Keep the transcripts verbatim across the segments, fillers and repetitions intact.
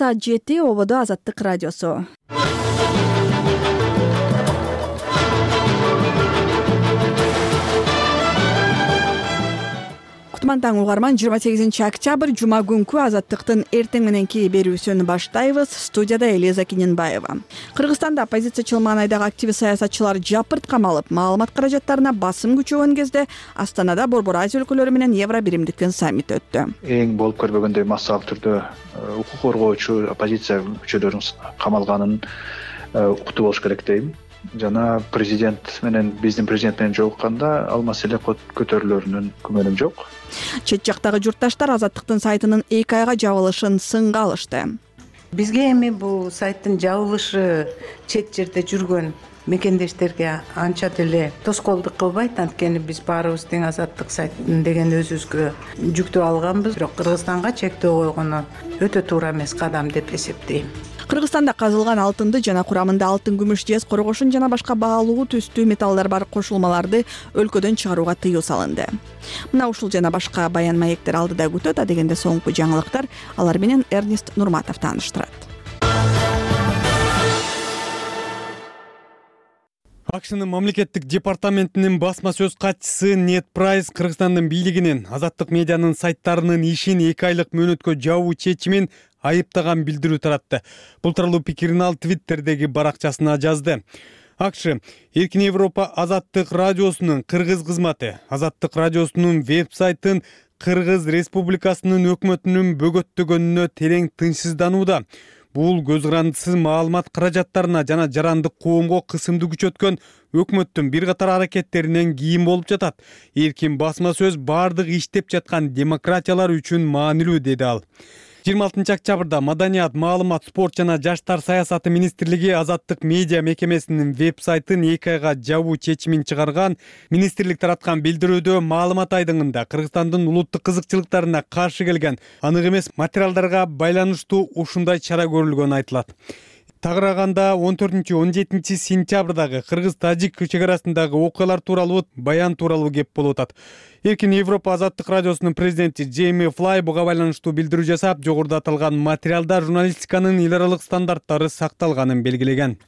Саат жети ободо Азаттык радиосу. Кутман таң угарман, жыйырма сегизинчи октябрь жума күнкү Азаттыктын эртең мененки берүүсүн баштайбыз. Студияда Элиза Киненбаева. Кыргызстанда оппозициячыл маанайдагы активист саясатчылар жапырт камалып, маалымат каражаттарына басым күчөгөн кезде Астанада Борбор Азия өлкөлөрү менен Евро биримдиктин саммити өттү. Эң болуп көрбөгөндөй массалык түрдө укук коргоочу оппозиция күчөлөрүнүн камалганын уктуу болуш керек дейм. Жана президент менен биздин президент менен жолукканда ал маселе көтөрүлөрүнүн күмөнүм жок. Чет жактагы журтташтар Азаттыктын сайтынын эки айга жабылышын сынга алышты. Бизге эми бул сайттын жабылышы чет жерде жүргөн мекендештерге анча деле тоскоолдук кылбайт, анткени биз баарыбыз тең Азаттык сайтын деген өзүбүзгө жүктөп алганбыз. Бирок Кыргызстанга чектөө койгону өтө туура эмес кадам деп эсептейм. Кыргызстанда казылган алтынды жана курамында алтын, күмүш, жез, коргошун жана башка баалуу түстүү металлдар бар кошулмаларды өлкөдөн чыгарууга тыюу салынды. Мына ушул жана башка баян маектер алдыда күтөт. Адегенде соңку жаңылыктар, алар менен Эрнест Нурматов тааныштырат. АКШнын мамлекеттик департаментинин басма сөз катчысы Нед Прайс Кыргызстандын бийлигинин Азаттык медианын сайттарынын ишин эки айлык мөөнөткө жабуу чечимин айыптаган билдирүү таратты. Бул тууралуу пикирин ал Твиттердеги баракчасына жазды. АКШ Эркин Европа Азаттык радиосунун кыргыз кызматы Азаттык радиосунун веб-сайтын Кыргыз Республикасынын өкмөтүнүн бөгөттөгөнүнө терең тынчсызданууда. Бул көз карандысыз маалымат каражаттарына жана жарандык коомго кысымды күчөткөн өкмөттүн бир катар аракеттеринен кийин болуп жатат. Эркин басма сөз бардык иштеп жаткан демократиялар үчүн маанилүү, деди ал. жыйырма алтынчы октябрда Маданият, маалымат, спорт жана жаштар саясаты министрлиги Азаттык медиа мекемесинин веб-сайтын эки айга жабуу чечимин чыгарган. Министрлик тараткан билдирүүдө маалымат айдыңында Кыргызстандын улуттук кызыкчылыктарына каршы келген анык эмес материалдарга байланыштуу ушундай чара көрүлгөнү айтылат. Тагырааганда он төртүнчү он жетинчи сентябрдагы кыргыз-тажик чек арасындагы окуялар тууралуу баян тууралуу кеп болуп атат. Эркин Европа Азаттык радиосунун президенти Джейми Флай буга байланыштуу билдирүү жасап, жогоруда аталган материалда журналистиканын эл аралык стандарттары сакталганын белгилеген.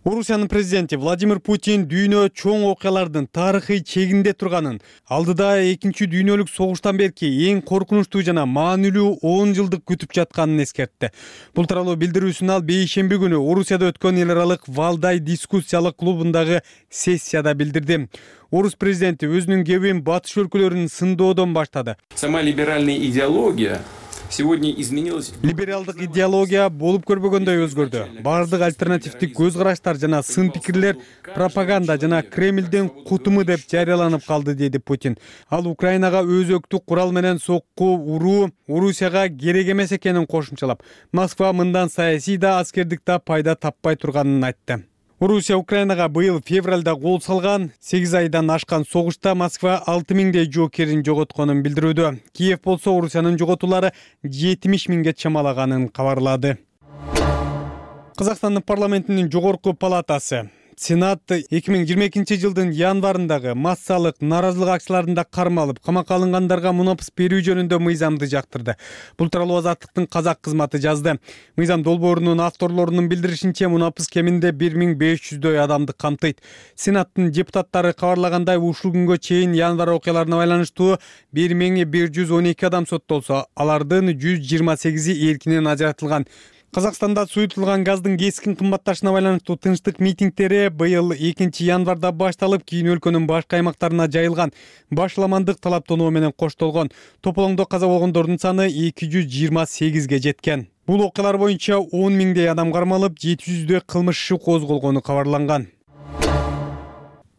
Орусиянын президенти Владимир Путин дүйнө чоң окуялардын тарыхый чегинде турганын, алдыда экинчи дүйнөлүк согуштан берки эң коркунучтуу жана маанилүү он жылдык күтүп жатканын эскертти. Бул тууралуу билдирүүсүн ал бейшемби күнү Орусияда өткөн эл аралык Валдай дискуссиялык клубундагы сессияда билдирди. Орус президенти өзүнүн кебин батыш өлкөлөрүн сындоодон баштады. Сама либеральная идеология сегодня изменилась. Либералдык идеология болуп көрбөгөндөй өзгөрдү. Бардык альтернативдик көз караштар жана сын пикирлер пропаганда жана Кремлдин кутуму деп жарыяланып калды, деди Путин. Ал Украинага өзөктүк курал менен сокку уруу Орусияга керек эмес экенин кошумчалап, Москва мындан саясий да аскердик да пайда таппай турганын айтты. Орусия Украинага быйыл февралда кол салган сегиз айдан ашкан согушта Москва алты миңдей жоокерин жоготконун билдирүүдө. Киев болсо Орусиянын жоготуулары жетимиш миңге чамалаганын кабарлады. Кыргызстандын парламентинин жогорку палатасы Сенат эки миң жыйырма экинчи жылдын январындагы массалык нааразылык акцияларында кармалып, камакка алынгандарга мунапыс берүү жөнүндө мыйзамды жактырды. Бул тууралуу Азаттыктын казак кызматы жазды. Мыйзам долбоорунун авторлорунун билдиришинче, мунапыс кеминде бир миң беш жүздөй адамды камтыйт. Сенаттын депутаттары кабарлагандай, ушул күнгө чейин январь окуяларына байланыштуу бир миң бир жүз он эки адам соттолсо, алардын жүз жыйырма сегизи эркинен ажыратылган. Казакстанда суютулган газдын кескин кымбатташына байланыштуу тынчтык митингдери быйыл экинчи январда башталып, кийин өлкөнүн башка аймактарына жайылган. Башламандык талаптонуу менен коштолгон. Тополоңдо каза болгондордун саны эки жүз жыйырма сегизге жеткен. Бул окуялар боюнча он миңдей адам кармалып, жети жүздөй кылмыш иши козголгону кабарланган.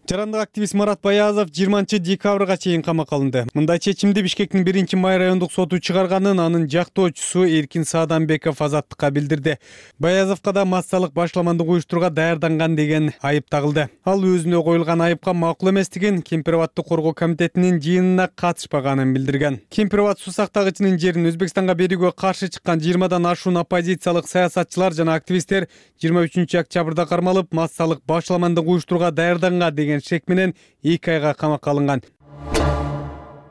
Жарандык активист Марат Баязов жыйырманчы декабрга чейин камакка алынды. Мындай чечимди Бишкектин биринчи май райондук соту чыгарганын анын жактоочусу Эркин Сааданбеков Азаттыкка билдирди. Баязовго да массалык башламандык уюштурууга даярданган деген айып тагылды. Ал өзүнө коюлган айыпка макул эместигин, Кемпир-Абадты коргоо комитетинин жыйынына катышпаганын билдирген. Кемпир-Абад суу сактагычынын жерин Өзбекстанга берүүгө каршы чыккан жыйырмадан ашуун оппозициялык саясатчылар жана активисттер жыйырма үчүнчү октябрда кармалып, массалык башламандык уюштурууга даярданган деген шек менен эки айга камакка алынган.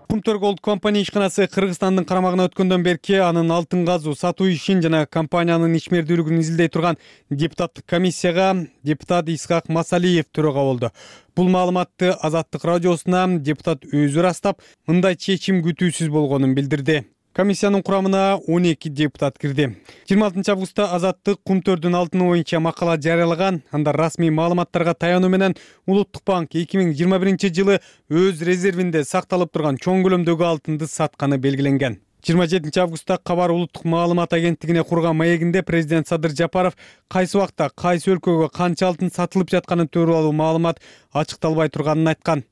Kumtor Gold компания ишканасы Кыргызстандын карамагына өткөндөн берки анын алтын казуу сатуу ишин жана компаниянын ишмердүүлүгүн изилдей турган депутаттык комиссияга депутат Исхак Масалиев төрага болду. Бул маалыматты Азаттык радиосуна депутат өзү ырастап, мындай чечим күтүүсүз болгонун билдирди. Комиссиянын курамына он эки депутат кирди. жыйырма алтынчы августта Азаттык Кумтөрдүн алтыны боюнча макала жарыялаган. Анда расмий маалыматтарга таянуу менен Улуттук банк эки миң жыйырма биринчи жылы өз резервинде сакталып турган чоң көлөмдөгү алтынды сатканы белгиленген. жыйырма жетинчи августта Кабар улуттук маалымат агенттигине курган маегинде президент Садыр Жапаров кайсы убакта кайсы өлкөгө канча алтын сатылып жатканы тууралуу маалымат ачыкталбай турганын айткан.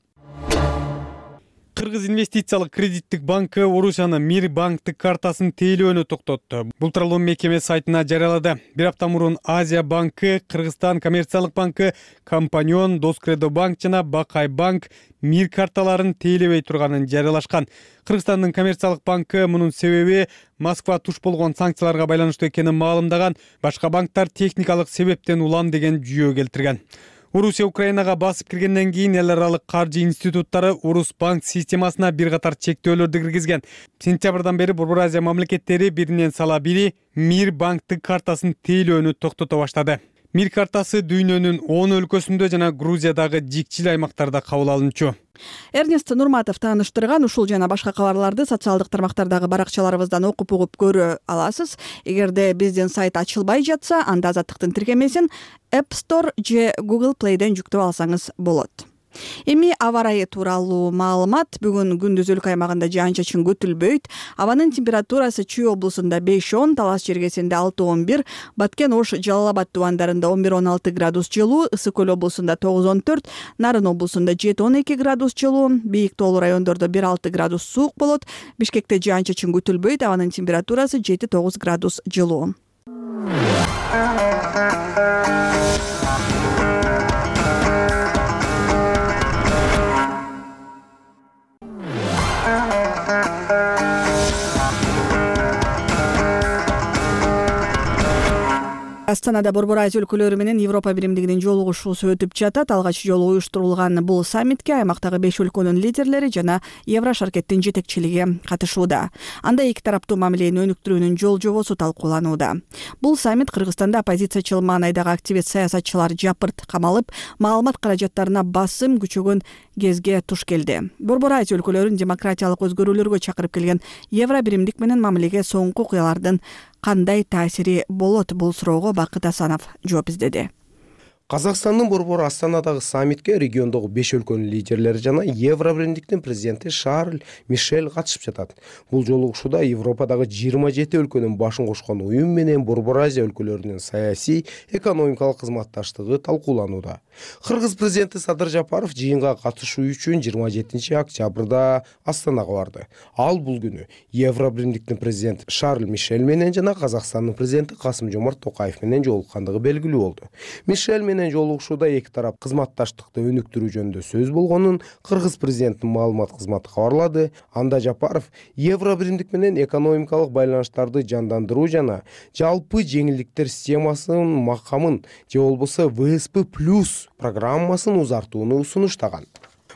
Кыргыз инвестициялык кредиттик банкы Орусиянын Мир банктык картасын тейлөөнү токтотту. Бул тууралуу мекеме сайтына жарыялады. Бир апта мурун Азия банкы, Кыргызстан коммерциялык банкы, Компаньон, Доскредо банк жана Бакай банк Мир карталарын тейлебей турганын жарыялашкан. Кыргызстандын коммерциялык банкы мунун себеби Москва туш болгон санкцияларга байланыштуу экенин маалымдаган. Башка банктар техникалык себептен улам деген жүйө келтирген. Орусия Украинага басып киргенден кийин эл аралык каржы институттары Орус банк системасына бир катар чектөөлөрдү киргизген. Сентябрдан бери Борбор Азия мамлекеттери биринен сала бири Мир банктык картасын тейлөөнү токтото баштады. Мир картасы дүйнөнүн он өлкөсүндө жана Грузиядагы жикчил аймактарда кабыл алынчу. Эрнест Нурматов тааныштырган ушул жана башка кабарларды социалдык тармактардагы баракчаларыбыздан окуп угуп көрө аласыз. Эгерде биздин сайт ачылбай жатса, анда Азаттыктын тиркемесин App Store же Google Play'ден жүктөп алсаңыз болот. Эми аба ырайы тууралуу маалымат. Бүгүн күндүз өлкө аймагында жаан-чачын күтүлбөйт. Абанын температурасы Чүй облусунда беш он, Талас жергесинде алты он бир, Баткен, Ош, Жалал Абад тубандарында он бир он алты градус жылуу, Ысык көл облусунда тогуз он төрт, Нарын облусунда жети он эки градус жылуу, Бийик тоолуу райондордо бир алты градус суук болот. Бишкекте жаан-чачын күтүлбөйт. Абанын температурасы жети тогуз градус жылуу. Астанада Борбор Азия өлкөлөрү менен Европа биримдигинин жолугушуусу өтүп жатат. Алгач жолу уюштурулган бул саммитке аймактагы беш өлкөнүн лидерлери жана Еврошаркеттин жетекчилиги катышууда. Анда эки тараптуу мамилени өнүктүрүүнүн жол жобосу талкууланууда. Бул саммит Кыргызстанда оппозициячыл маанайдагы активист саясатчылар жапырт камалып, маалымат каражаттарына басым күчөгөн кезге туш келди. Борбор Азия өлкөлөрүн демократиялык өзгөрүүлөргө чакырып келген Евро биримдик менен мамилеге соңку окуялардын кандай таасири болот, бул суроого Бакыт Асанов жооп издеди. Казакстандын Борбор Астанадагы саммитке региондогу беш өлкөнүн лидерлери жана Евро биримдиктин президенти Шарль Мишель катышып жатат. Бул жолугушууда Европадагы жыйырма жети өлкөнүн башын кошкон уюм менен Борбор Азия өлкөлөрүнүн саясий, экономикалык кызматташтыгы талкууланууда. Кыргыз президенти Садыр Жапаров жыйынга катышуу үчүн жыйырма жетинчи октябрда Астанага барды. Ал бул күнү Евро биримдиктин президенти Шарль Мишель менен жана Казакстандын президенти Касым-Жомарт Токаев менен жолуккандыгы белгилүү болду. Мишель менен жолугушууда эки тарап кызматташтыкты өнүктүрүү жөнүндө сөз болгонун Кыргыз президентинин маалымат кызматы кабарлады. Анда Жапаров Евро биримдик менен экономикалык байланыштарды жандандыруу жана жалпы жеңилдиктер системасынын макамын же болбосо вэ эс пэ плюс программасын узартууну сунуштаган.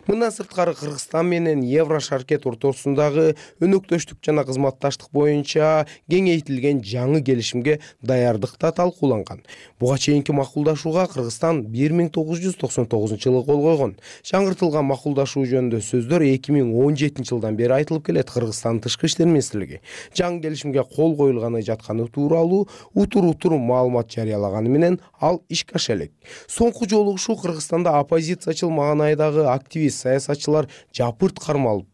Мындан сырткары Кыргызстан менен Еврошаркет ортосундагы өнөктөштүк жана кызматташтык боюнча кеңейтилген жаңы келишимге даярдык да талкууланган. Буга чейинки макулдашууга Кыргызстан бир миң тогуз жүз токсон тогузунчу жылы кол койгон. Жаңыртылган макулдашуу жөнүндө сөздөр эки миң он жетинчи жылдан бери айтылып келет. Кыргызстандын тышкы иштер министрлиги жаңы келишимге кол коюлганы жатканы тууралуу утур-утур маалымат жарыялаганы менен ал ишке аша элек. Соңку жолугушуу Кыргызстанда оппозициячыл маанайдагы активист саясатчылар жапырт кармалып,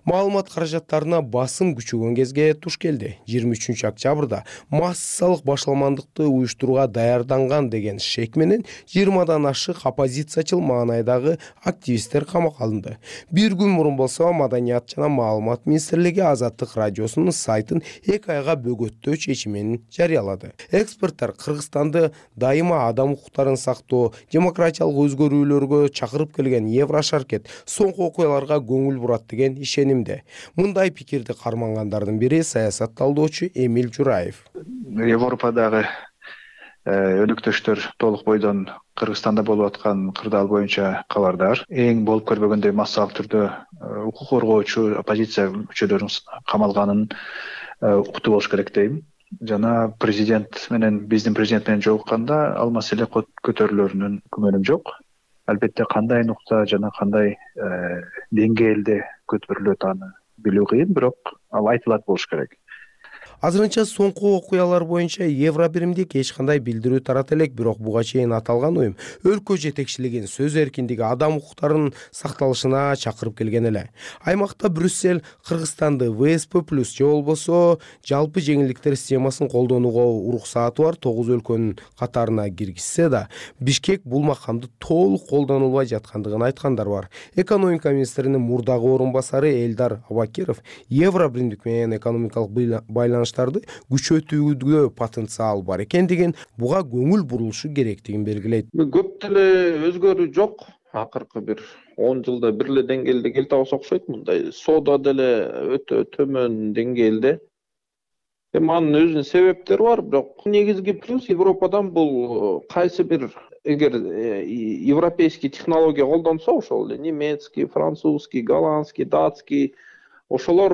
маалымат каражаттарына басым күчөгөн кезге туш келди. жыйырма үчүнчү октябрда массалык башаламандыкты уюштурууга даярданган деген шек менен жыйырмадан ашык оппозициячыл маанайдагы активисттер камакка алынды. Бир күн мурун болсо Маданият жана маалымат министрлиги Азаттык радиосунун сайтын эки айга бөгөттөө чечимин жарыялады. Эксперттер Кыргызстанды дайыма адам укуктарын сактоо, демократиялык өзгөрүүлөргө чакырып келген Еврошаркет соңку окуяларга көңүл бурат деген ишенимде. Мындай пикирди кармангандардын бири саясат талдоочу Эмил Жураев. Европадагы өнөктөштөр толук бойдон Кыргызстанда болуп аткан кырдаал боюнча кабардар. Эң болуп көрбөгөндөй массалык түрдө укук коргоочу оппозиция мүчөлөрүнүн камалганын уктуу болуш керек дейм. Жана президент менен биздин президент менен жолукканда ал маселе көтөрүлөрүнүн күмөнүм жок. Албетте кандай нукта жана кандай деңгээлде көтөрүлөт аны билүү кыйын, бирок ал айтылат болуш керек. Азырынча соңку окуялар боюнча Евробиримдик эч кандай билдирүү тарата элек, бирок буга чейин аталган уюм өлкө жетекчилигин сөз эркиндиги, адам укуктарынын сакталышына чакырып келген эле. Аймакта Брюссель Кыргызстанды вэ эс пэ плюс же болбосо жалпы жеңилдиктер системасын колдонууга уруксааты бар тогуз өлкөнүн катарына киргизсе да, Бишкек бул макамды толук колдонулбай жаткандыгын айткандар бар. Экономика министринин мурдагы орун басары Элдар Абакиров Евробиримдик менен экономикалык байланыш күчөтүүгө потенциал бар экендигин, буга көңүл бурулушу керектигин белгилейт. Көп деле өзгөрүү жок. Акыркы бир он жылда бир эле деңгээлде келте алса окшойт. Мындай соода деле өтө төмөн деңгээлде. Эми анын өзүнүн себептери бар, бирок негизги плюс Европадан бул кайсы бир эгер европейский технология колдонсо, ошол эле немецкий, французский, голландский, датский ошолор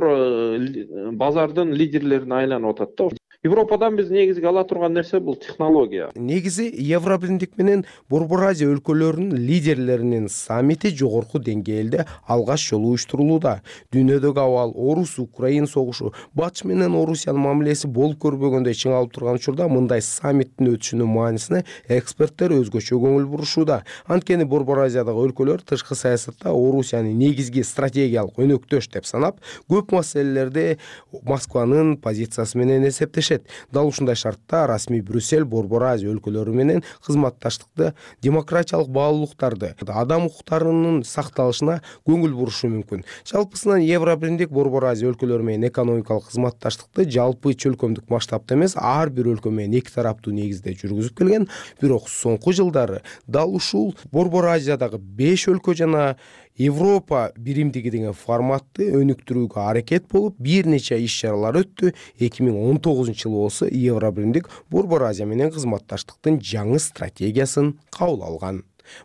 базардын лидерлерине айланып атат да. Европадан биз негизги ала турган нерсе бул технология. Негизи Евробиримдик менен Борбор Азия өлкөлөрүнүн лидерлеринин саммити жогорку деңгээлде алгач жолу уюштурулууда. Дүйнөдөгү абал, Орус-Украин согушу, Батыш менен Орусиянын мамилеси болуп көрбөгөндөй чыңалып турган учурда мындай саммиттин өтүшүнүн маанисине эксперттер өзгөчө көңүл бурушууда. Анткени Борбор Азиядагы өлкөлөр тышкы саясатта Орусияны негизги стратегиялык өнөктөш деп санап, көп маселелерде Москванын позициясы менен эсептешет. Дал ушундай шартта расмий Брюссель Борбор Азия өлкөлөрү менен кызматташтыкты, демократиялык баалуулуктарды, адам укуктарынын сакталышына көңүл бурушу мүмкүн. Жалпысынан Евробиримдик Борбор Азия өлкөлөрү менен экономикалык кызматташтыкты жалпы чөлкөмдүк масштабта эмес, ар бир өлкө менен эки тараптуу негизде жүргүзүп келген. Бирок соңку жылдары дал ушул Борбор Азиядагы беш өлкө жана Европа биримдиги деген форматты өнүктүрүүгө аракет болуп, бир нече иш-чаралар өттү. эки миң он тогузунчу жылы болсо Евробиримдик Борбор Азия менен кызматташтыктын жаңы стратегиясын кабыл алган.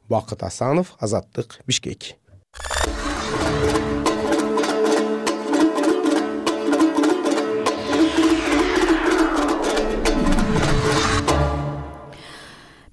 Бакыт Асанов, Азаттык, Бишкек.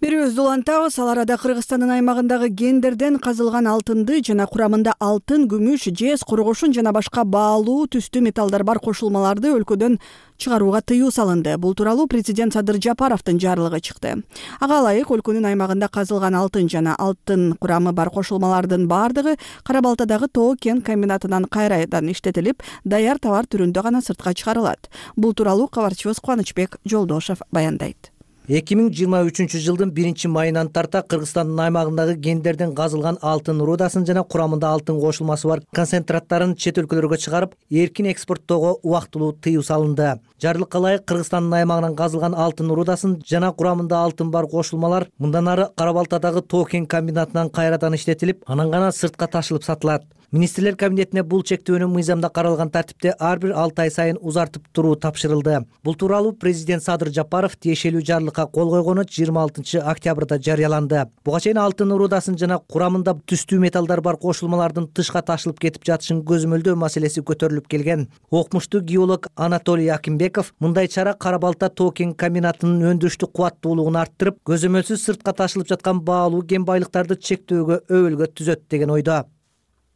Берүүбүздү улантабыз. Ал арада Кыргызстандын аймагындагы кендерден казылган алтынды жана курамында алтын, күмүш, жез, коргошун жана башка баалуу түстүү металлдар бар кошулмаларды өлкөдөн чыгарууга тыюу салынды. Бул тууралуу президент Садыр Жапаровдун жарлыгы чыкты. Ага ылайык өлкөнүн аймагында казылган алтын жана алтын курамы бар кошулмалардын бардыгы Кара Балтадагы Тоо кен комбинатынан кайрадан иштетилип, даяр товар түрүндө гана сыртка чыгарылат. Бул тууралуу кабарчыбыз Кубанычбек Жолдошев баяндайт. эки миң жыйырма үчүнчү жылдын биринчи майынан тарта Кыргызстандын аймагындагы кендерден казылган алтын рудасын жана курамында алтын кошулмасы бар концентраттарын чет өлкөлөргө чыгарып, эркин экспорттоого убактылуу тыюу салынды. Жарлыкка ылайык Кыргызстандын аймагынан казылган алтын рудасын жана курамында алтын бар кошулмалар мындан ары Кара Балтадагы Тоо кен комбинатынан кайрадан иштетилип, анан гана сыртка ташылып сатылат. Министрлер кабинетине бул чектөөнү мыйзамда каралган тартипте ар бир алты ай сайын узартып туруу тапшырылды. Бул тууралуу президент Садыр Жапаров тиешелүү жарлыкка кол койгону жыйырма алтынчы октябрда жарыяланды. Буга чейин алтын рудасын жана курамында түстүү металлдар бар кошулмалардын тышка ташылып кетип жатышын көзөмөлдөө маселеси көтөрүлүп келген. Окумуштуу геолог Анатолий Акимбеков мындай чара Кара Балта Тоо кен комбинатынын өндүрүштүк кубаттуулугун арттырып, көзөмөлсүз сыртка ташылып жаткан баалуу кен байлыктарды чектөөгө өбөлгө түзөт деген ойдо.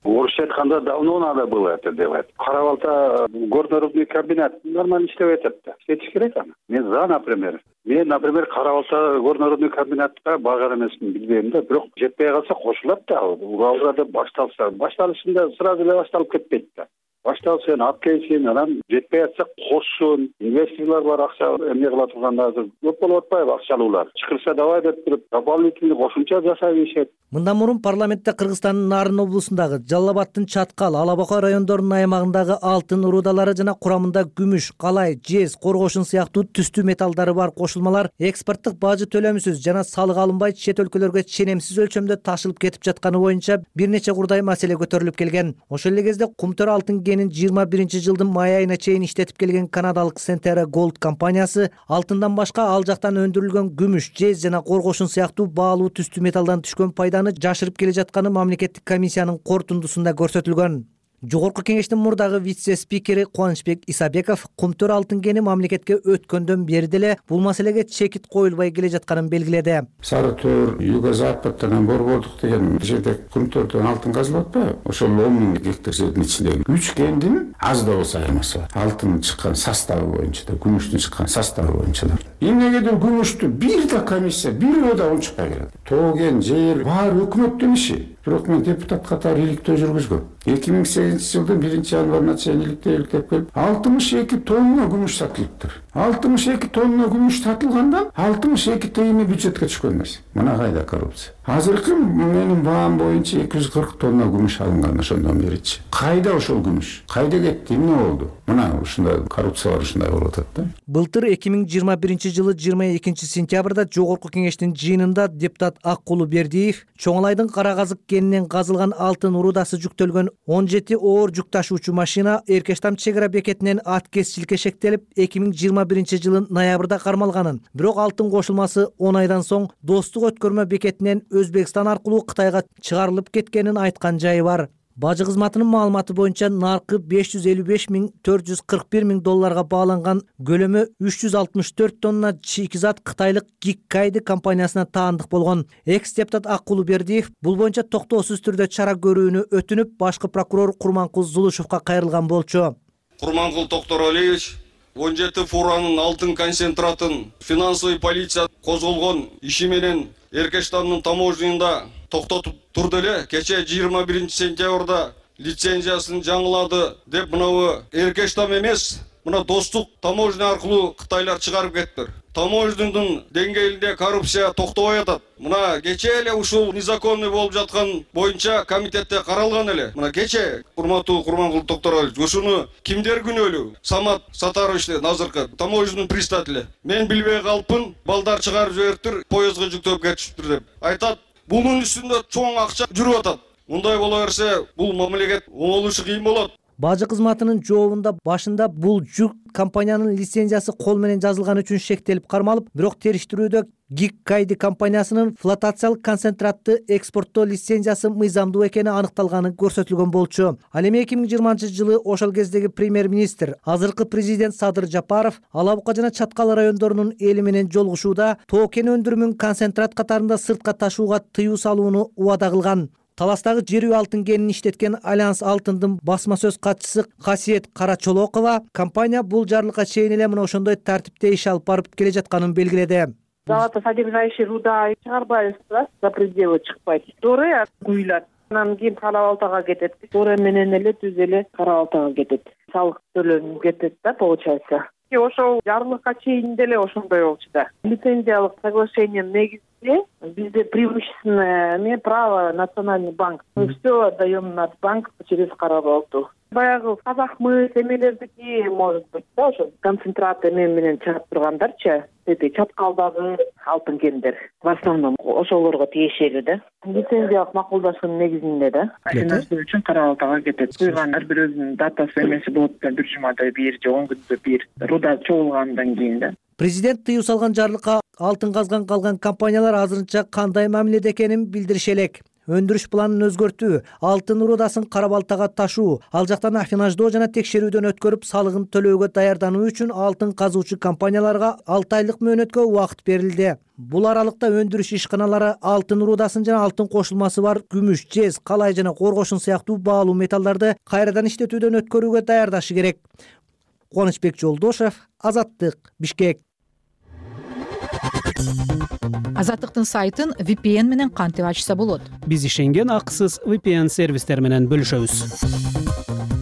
Орусча айтканда давно надо было это делать. Кара Балта горнорудный комбинат нормально иштеп атат да. Иштетиш керек аны. Мен за, например. Мен, например, Кара Балта горнорудный комбинатка барган эмесмин, билбейм да. Бирок жетпей калса кошулат да. Уралда деп башталса, башталышында сразу эле башталып кетпейт да. Башталса алып келсин, анан жетпей атса кошсун. Инвесторлор бар, акча эмне кыла турганда азыр көп болуп атпайбы акчалуулар. Чыкырса давай деп туруп, дополнительный кошумча жасап ийишет. Мындан мурун парламентте Кыргызстандын Нарын облусундагы Жалал Абадтын Чаткал, Алабака райондорунун аймагындагы алтын рудалары жана курамында күмүш, калай, жез, коргошун сыяктуу түстүү металлдары бар кошулмалар экспорттук бажы төлөмсүз жана салык алынбай чет өлкөлөргө ченемсиз өлчөмдө ташылып кетип жатканы боюнча бир нече курдай маселе көтөрүлүп келген. Ошол эле кезде Кумтөр алтын кенин жыйырма биринчи жылдын май айына чейин иштетип келген канадалык Centerra Gold компаниясы алтындан башка ал жактан өндүрүлгөн күмүш, жез жана коргошун сыяктуу баалуу түстүү металлдан түшкөн пайданы жашырып келе жатканы мамлекеттик комиссиянын корутундусунда көрсөтүлгөн. Жогорку кеңештин мурдагы вице-спикери Кубанычбек Исабеков кумтөр алтын кени мамлекетке өткөндөн бери деле бул маселеге чекит коюлбай келе жатканын белгиледи. Сары Төр, Юго-Западтан Борбордук деген жерде кумтөрдөн алтын казылып атпайбы? Ошол он миң гектар жердин ичинде үч кендин аз да болсо айырмасы бар. Алтын чыккан составы боюнча да, күмүштүн чыккан составы боюнча да. Эмнегедир күмүштү бир да комиссия, бирөө да унчукпай келет. Тоо кен, жер баары өкмөттүн иши. Бирок мен депутат катары иликтөө жүргүзгөм. эки миң сегизинчи жылдын биринчи январына чейин иликтөө иликтеп келип, алтымыш эки тонна күмүш сатылыптыр. алтымыш эки тонна күмүш сатылгандан алтымыш эки тыйыны бюджетке түшкөн эмес. Мына кайда коррупция. Азыркы менин баам боюнча эки жүз кырк тонна күмүш алынган ошондон беричи. Кайда ошол күмүш? Кайда кетти? Эмне болду? Мына ушундай коррупциялар ушундай болуп атат да. Былтыр эки миң жыйырма биринчи жылы жыйырма экинчи сентябрда жогорку кеңештин жыйынында депутат Аккулу Бердиев Чоңалайдын Кара Казык кенинен казылган алтын урудасы жүктөлгөн он жети оор жүк ташуучу машина Эркештам чек ара бекетинен аткезчиликке шектелип эки миң жыйырма биринчи жылын ноябрда кармалганын, бирок алтын кошулмасы он айдан соң Достук өткөрмө бекетинен Өзбекстан аркылуу Кытайга чыгарылып кеткенин айткан жайы бар. Бажы кызматынын маалыматы боюнча наркы беш жүз элүү беш миң төрт жүз кырк бир миң долларга бааланган көлөмү үч жүз алтымыш төрт тонна шикизат кытайлык Гиккайди компаниясына таандык болгон. Экс-депутат Аккулу Бердиев бул боюнча токтоосуз түрдө чара көрүүнү өтүнүп, башкы прокурор Курманкул Зулушевго кайрылган болчу. Курманкул Токторалиевич он жети фуранын алтын концентратын финансовый полиция козголгон иши менен Эркештамдын таможнясында токтотуп турду эле. Кече жыйырма биринчи сентябрда лицензиясын жаңылады деп мынабы Эркештам эмес, мына Достук таможня аркылуу Кытайлар чыгарып кетиптир. Таможняның деңгээлинде коррупция токтобой атат. Мына кече эле ушул незаконный болуп жаткан боюнча комитетте каралган эле. Мына кече урматтуу Курманкул Токторалиевич, ушуну кимдер күнөөлүү? Самат Сатарович азыркы таможняның председатели. Мен билбей калыпмын, балдар чыгарып жибериптир, поездга жүктөп кетишиптир деп айтат. Бунун үстүндө чоң акча жүрүп атат. Мындай боло берсе, бул мамлекет оңолушу кыйын болот. Бажы кызматынын жообунда башында бул жүк компаниянын лицензиясы кол менен жазылган үчүн шектелип кармалып, бирок териштирүүдө Гиккайди компаниясынын флотациялык концентратты экспорттоо лицензиясы мыйзамдуу экени аныкталганы көрсөтүлгөн болчу. Ал эми эки миң жыйырманчы жылы ошол кездеги премьер-министр, азыркы президент Садыр Жапаров Ала Бука жана Чаткал райондорунун эли менен жолугушууда тоо кен өндүрүмүн концентрат катарында сыртка ташууга тыюу салууну убада кылган. Таластагы жерүү алтын кенин иштеткен Альянс алтындын басма сөз катчысы Касиет Карачолокова компания бул жарлыкка чейин эле мына ошондой тартипте иш алып барып келе жатканын белгиледи. Золотосодержащий руда чыгарбайбыз да, за пределы чыкпайт. Доре куюлат. Анан кийин Кара-Балтага кетет. Доре менен эле түз эле Кара-Балтага кетет. Салык төлөнүп кетет да, получается. Ошол жарлыкка чейин деле ошондой болчу да. Лицензиялык соглашениенин негизинде бизде преимущественное право Национальный банк. Мы все отдаем на банк через Кара-Балту. Баягы казакмыс эмелердики, может быть, да, ошо концентрат эме менен чыгып тургандарчы, эти Чаткалдагы алтын кендер. В основном ошолорго тиешелүү да. Лицензиялык макулдашуунун негизинде да. Ошол үчүн Кара-Балтага кетет. Куйган ар бир өзүнүн датасы эмеси болот да, бир жумада бир же он күндө бир руда чогулгандан кийин да. Президент тыюу салган жарлыкка алтын казган калган компаниялар азырынча кандай мамиледе экенин билдириши элек. Өндүрүш планын өзгөртүү, алтын урудасын Кара-Балтага ташуу, ал жактан афинаждоо жана текшерүүдөн өткөрүп салыгын төлөөгө даярдануу үчүн алтын казуучу компанияларга алты айлык мөөнөткө убакыт берилди. Бул аралыкта өндүрүш ишканалары алтын урудасын жана алтын кошулмасы бар күмүш, жез, калай жана коргошун сыяктуу баалуу металлдарды кайрадан иштетүүдөн өткөрүүгө даярдашы керек. Кубанычбек Жолдошев, Азаттык, Бишкек. Азаттыктын сайтын ви пи эн менен кантип ачса болот? Биз ишенген акысыз ви пи эн сервистер менен бөлүшөбүз.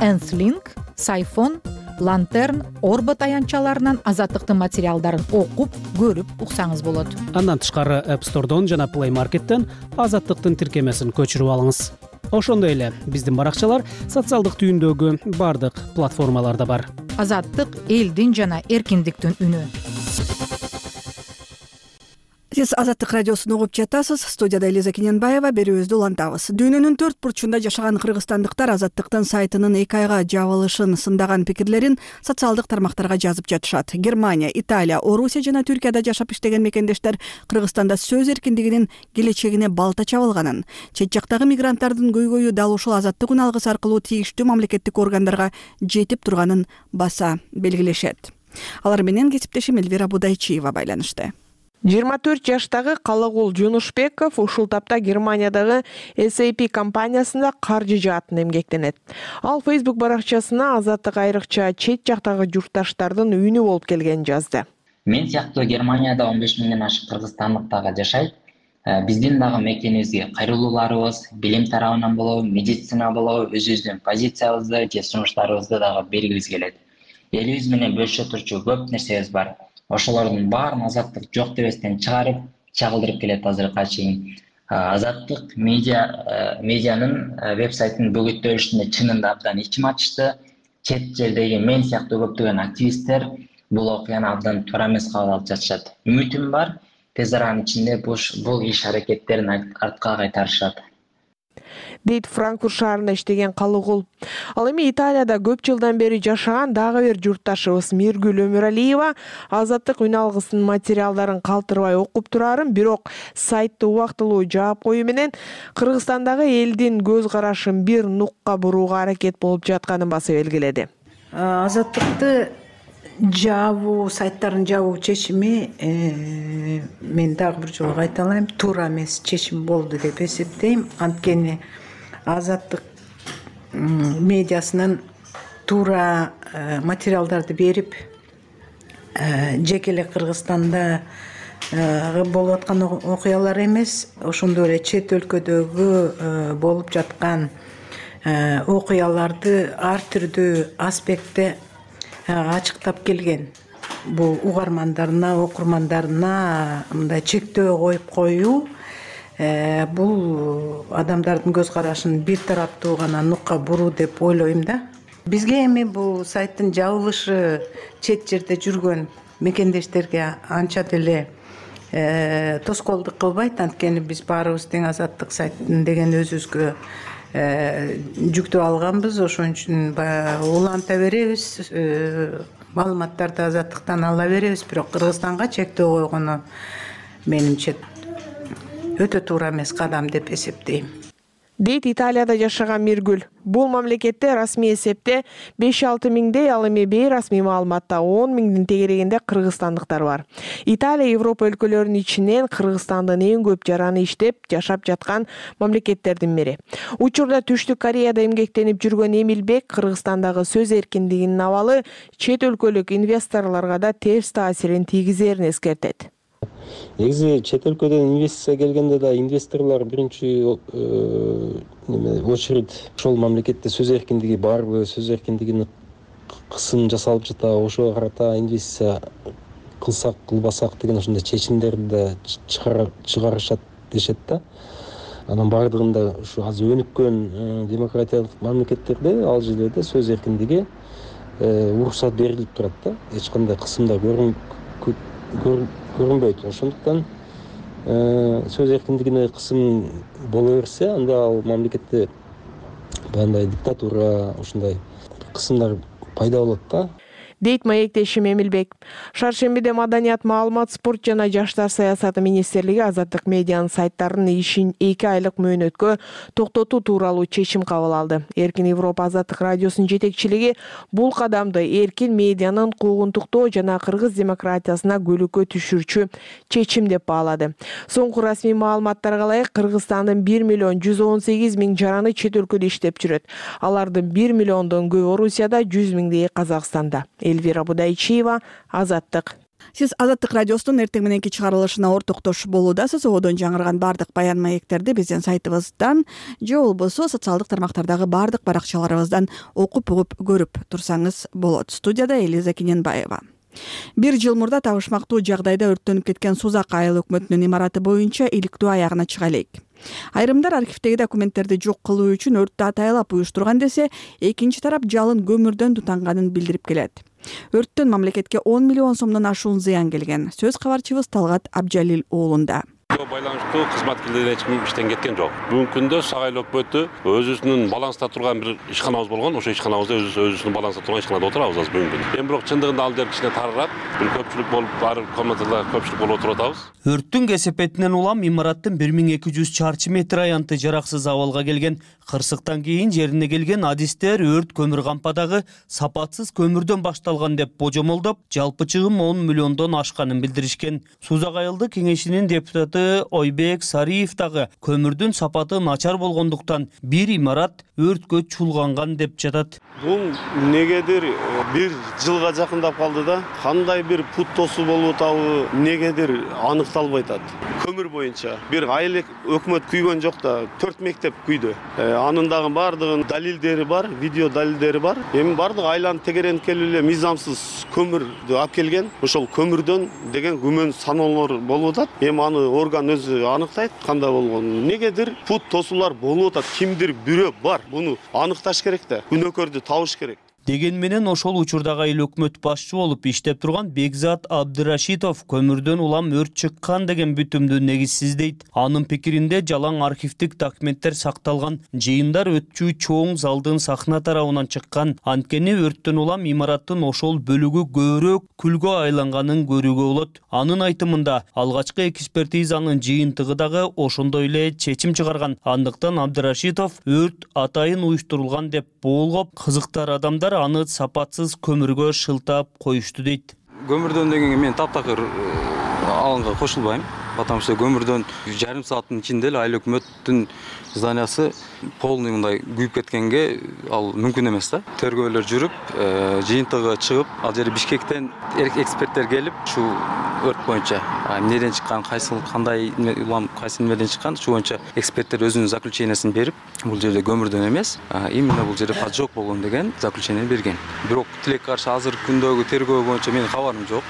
Энслинк, Сайфон, Лантерн, Орбот аянтчаларынан Азаттыктын материалдарын окуп, көрүп уксаңыз болот. Андан тышкары App Store'дон жана Play Market'тен Азаттыктын тиркемесин көчүрүп алыңыз. Ошондой эле биздин баракчалар социалдык түйүндөгү бардык платформаларда бар. Азаттык элдин жана эркиндиктин үнү. Сиз Азаттык радиосун угуп жатасыз. Студияда Элиза Кененбаева, берүүбүздү улантабыз. Дүйнөнүн төрт бурчунда жашаган кыргызстандыктар Азаттыктын сайтынын эки айга жабылышын сындаган пикирлерин социалдык тармактарга жазып жатышат. Германия, Италия, Орусия жана Түркияда жашап иштеген мекендештер Кыргызстанда сөз эркиндигинин келечегине балта чабылганын, чет жактагы мигранттардын көйгөйү дал ушул азаттык үн алгысы аркылуу тийиштүү мамлекеттик органдарга жетип турганын баса белгилешет. Алар менен кесиптешим Элвира Будайчиева байланышты. жыйырма төрт жаштагы Калыгул Жунушбеков ушул тапта Германиядагы эс эй пи компаниясында каржы жаатын эмгектенет. Ал Facebook баракчасына азаттык айрыкча чет жактагы журтташтардын үйүнү болуп келгенин жазды. Мен сыяктуу Германияда он беш миңден ашык кыргызстандык дагы жашайт. Биздин дагы мекенибизге кайрылууларыбыз, билим тарабынан болобу, медицина болобу, өзүбүздүн позициябызды же сунуштарыбызды дагы бергибиз келет. Элибиз менен бөлүшө турчу көп нерсебиз бар. Ошолордун баарын азаттык жок дебестен чыгарып, чагылдырып келет азыркыга чейин. Азаттык медиа медианын веб-сайтын бөгөттөлүшүндө чынында абдан ичим ачышты. Чет жердеги мен сыяктуу көптөгөн активисттер бул окуяны абдан туура эмес кабыл алып жатышат. Үмүтүм бар, тез аранын ичинде бул иш аракеттерин артка кайтарышат, дейт Франкфурт шаарында иштеген Калыгул. Ал эми Италияда көп жылдан бери жашаган дагы бир журтташыбыз Миргүл Өмүралиева азаттык үн алгысынын материалдарын калтырбай окуп турарын, бирок сайтты убактылуу жаап коюу менен Кыргызстандагы элдин көз карашын бир нукка бурууга аракет болуп жатканын баса белгиледи. Азаттыкты жабуу, сайттарын жабуу чечими мен дагы бир жолу айта алайм, туура эмес чечим болду деп эсептейм. Анткени азаттык медиасынын туура материалдарды берип, жеке эле Кыргызстанда болуп аткан окуялар эмес, ошондой эле чет өлкөдөгү болуп жаткан окуяларды ар түрдүү аспектте ачыктап келген. Бул угармандарына, окурмандарына мындай чектөө коюп коюу, бул адамдардын көз карашын бир тараптуу гана нукка буруу деп ойлойм да. Бизге эми бул сайттын жабылышы чет жерде жүргөн мекендештерге анча деле тоскоолдук кылбайт, анткени биз баарыбыз тең азаттык сайттын деген өзүбүзгө жүктөп алганбыз. Ошон үчүн баягы уланта беребиз, маалыматтарды азаттыктан ала беребиз, бирок Кыргызстанга чектөө койгону менимче өтө туура эмес кадам деп эсептейм, дейт Италияда жашаган Миргүл. Бул мамлекетте расмий эсепте беш алты миңдей, ал эми бейрасмий маалыматта он миңдин тегерегинде кыргызстандыктар бар. Италия Европа өлкөлөрүнүн ичинен Кыргызстандын эң көп жараны иштеп жашап жаткан мамлекеттердин бири. Учурда Түштүк Кореяда эмгектенип жүргөн Эмилбек Кыргызстандагы сөз эркиндигинин абалы чет өлкөлүк инвесторлорго да терс таасирин тийгизерин эскертет. Негизи чет өлкөдөн инвестиция келгенде да инвесторлор биринчи очередь ошол мамлекетте сөз эркиндиги барбы, сөз эркиндигине кысым жасалып жатабы, ошого карата инвестиция кылсак кылбасак деген ошондой чечимдерди да чыгарышат дешет да. Анан бардыгында ушу азыр өнүккөн демократиялык мамлекеттерде ал жерлерде сөз эркиндиги уруксат берилип турат да. Эч кандай кысымдар көрүнбөйт. Ошондуктан сөз эркиндигине кысым боло берсе, анда ал мамлекетте баягындай диктатура, ушундай кысымдар пайда болот да, дейт маектешим Эмилбек. Шаршембиде Маданият, маалымат, спорт жана жаштар саясаты министрлиги азаттык медианын сайттарынын ишин эки айлык мөөнөткө токтотуу тууралуу чечим кабыл алды. Эркин Европа азаттык радиосунун жетекчилиги бул кадамды эркин медианын куугунтуктоо жана кыргыз демократиясына көлөкө түшүрчү чечим деп баалады. Соңку расмий маалыматтарга ылайык Кыргызстандын бир миллион жүз он сегиз миң жараны чет өлкөдө иштеп жүрөт. Алардын бир миллиондон көбү Орусияда, жүз миңдейи Казакстанда. Элвира Будайчиева, Азаттык. Сиз Азаттык радиосунун эртең мененки чыгарылышына ортоктош болуудасыз. Одон жаңырган бардык баян маектерди биздин сайтыбыздан же болбосо социалдык тармактардагы бардык баракчаларыбыздан окуп угуп көрүп турсаңыз болот. Студияда Элиза Кененбаева. Бир жыл мурда табышмактуу жагдайда өрттөнүп кеткен Сузак айыл өкмөтүнүн имараты боюнча иликтөө аягына чыга элек. Айрымдар архивдеги документтерди жок кылуу үчүн өрттү атайлап уюштурган десе, экинчи тарап жалын көмүрдөн тутанганын билдирип келет. Өрттөн мамлекетке он миллион сомдон ашуун зыян келген. Сөз кабарчыбыз Талгат Абджалил уулунда. Байланыштуу кызматкерлер эч ким иштен кеткен жок. Бүгүнкү күндө Сагай өкмөтү өзүнүн баланста турган бир ишканабыз болгон. Ошо ишканабызда өзүнүн баланста турган ишканада отурабыз азыр бүгүнкү күндө. Эми бирок чындыгында ал жер кичине тарыраак, бир көпчүлүк болуп, ар комнатада көпчүлүк болуп отуруп атабыз. Өрттүн кесепетинен улам имараттын бир миң эки жүз чарчы метр аянты жараксыз абалга келген. Кырсыктан кийин жерине келген адистер өрт көмүр кампадагы сапатсыз көмүрдөн башталган деп божомолдоп, жалпы чыгым он миллиондон ашканын билдиришкен. Сузак айылдык кеңешинин депутаты Ойбек Сариев дагы көмүрдүн сапаты начар болгондуктан бир имарат өрткө чулганган деп жатат. Бул негедир бир жылга жакындап калды да, кандай бир пут тосу болуп атабы, негедир аныкталбай атат. Көмүр боюнча бир айыл өкмөт күйгөн жок да, төрт мектеп күйдү. Анын дагы бардыгын далилдери бар, видео далилдери бар. Эми бардыгы айланып тегеренип келип эле мыйзамсыз көмүрдү алып келген. Ошол көмүрдөн деген күмөн саноолор болуп атат. Эми аны орган өзү аныктайт кандай болгонун. Негедир пут тосуулар болуп атат. Кимдир бирөө бар. Буну аныкташ керек да. Күнөөкөрдү табыш керек. Деген менен ошол учурдагы айыл өкмөт башчы болуп иштеп турган Бекзат Абдырашитов көмүрдөн улам өрт чыккан деген бүтүмдү негизсиздейт. Анын пикиринде жалаң архивдик документтер сакталган, жыйындар өтчү чоң залдын сахна тарабынан чыккан. Анткени өрттөн улам имараттын ошол бөлүгү көбүрөөк күлгө айланганын көрүүгө болот. Анын айтымында алгачкы экспертизанын жыйынтыгы дагы ошондой эле чечим чыгарган. Андыктан Абдырашитов өрт атайын уюштурулган деп болгоп, кызыктар адамдар аны сапатсыз көмүргө шылтап коюшту дейт. Көмүрдөн дегенге мен таптакыр алынга кошулбайм. Потому что көмүрдөн жарым сааттын ичинде эле айыл өкмөттүн зданиясы полный мындай күйүп кеткенге ал мүмкүн эмес да. Тергөөлөр жүрүп, жыйынтыгы чыгып, ал жерде Бишкектен эксперттер келип, ушу өрт боюнча эмнеден чыккан, кайсыл кандай улам кайсы немеден чыккан, ушу боюнча эксперттер өзүнүн заключениясын берип, бул жерде көмүрдөн эмес, именно бул жерде поджог болгон деген заключение берген. Бирок тилекке каршы азыркы күндөгү тергөө боюнча менин кабарым жок.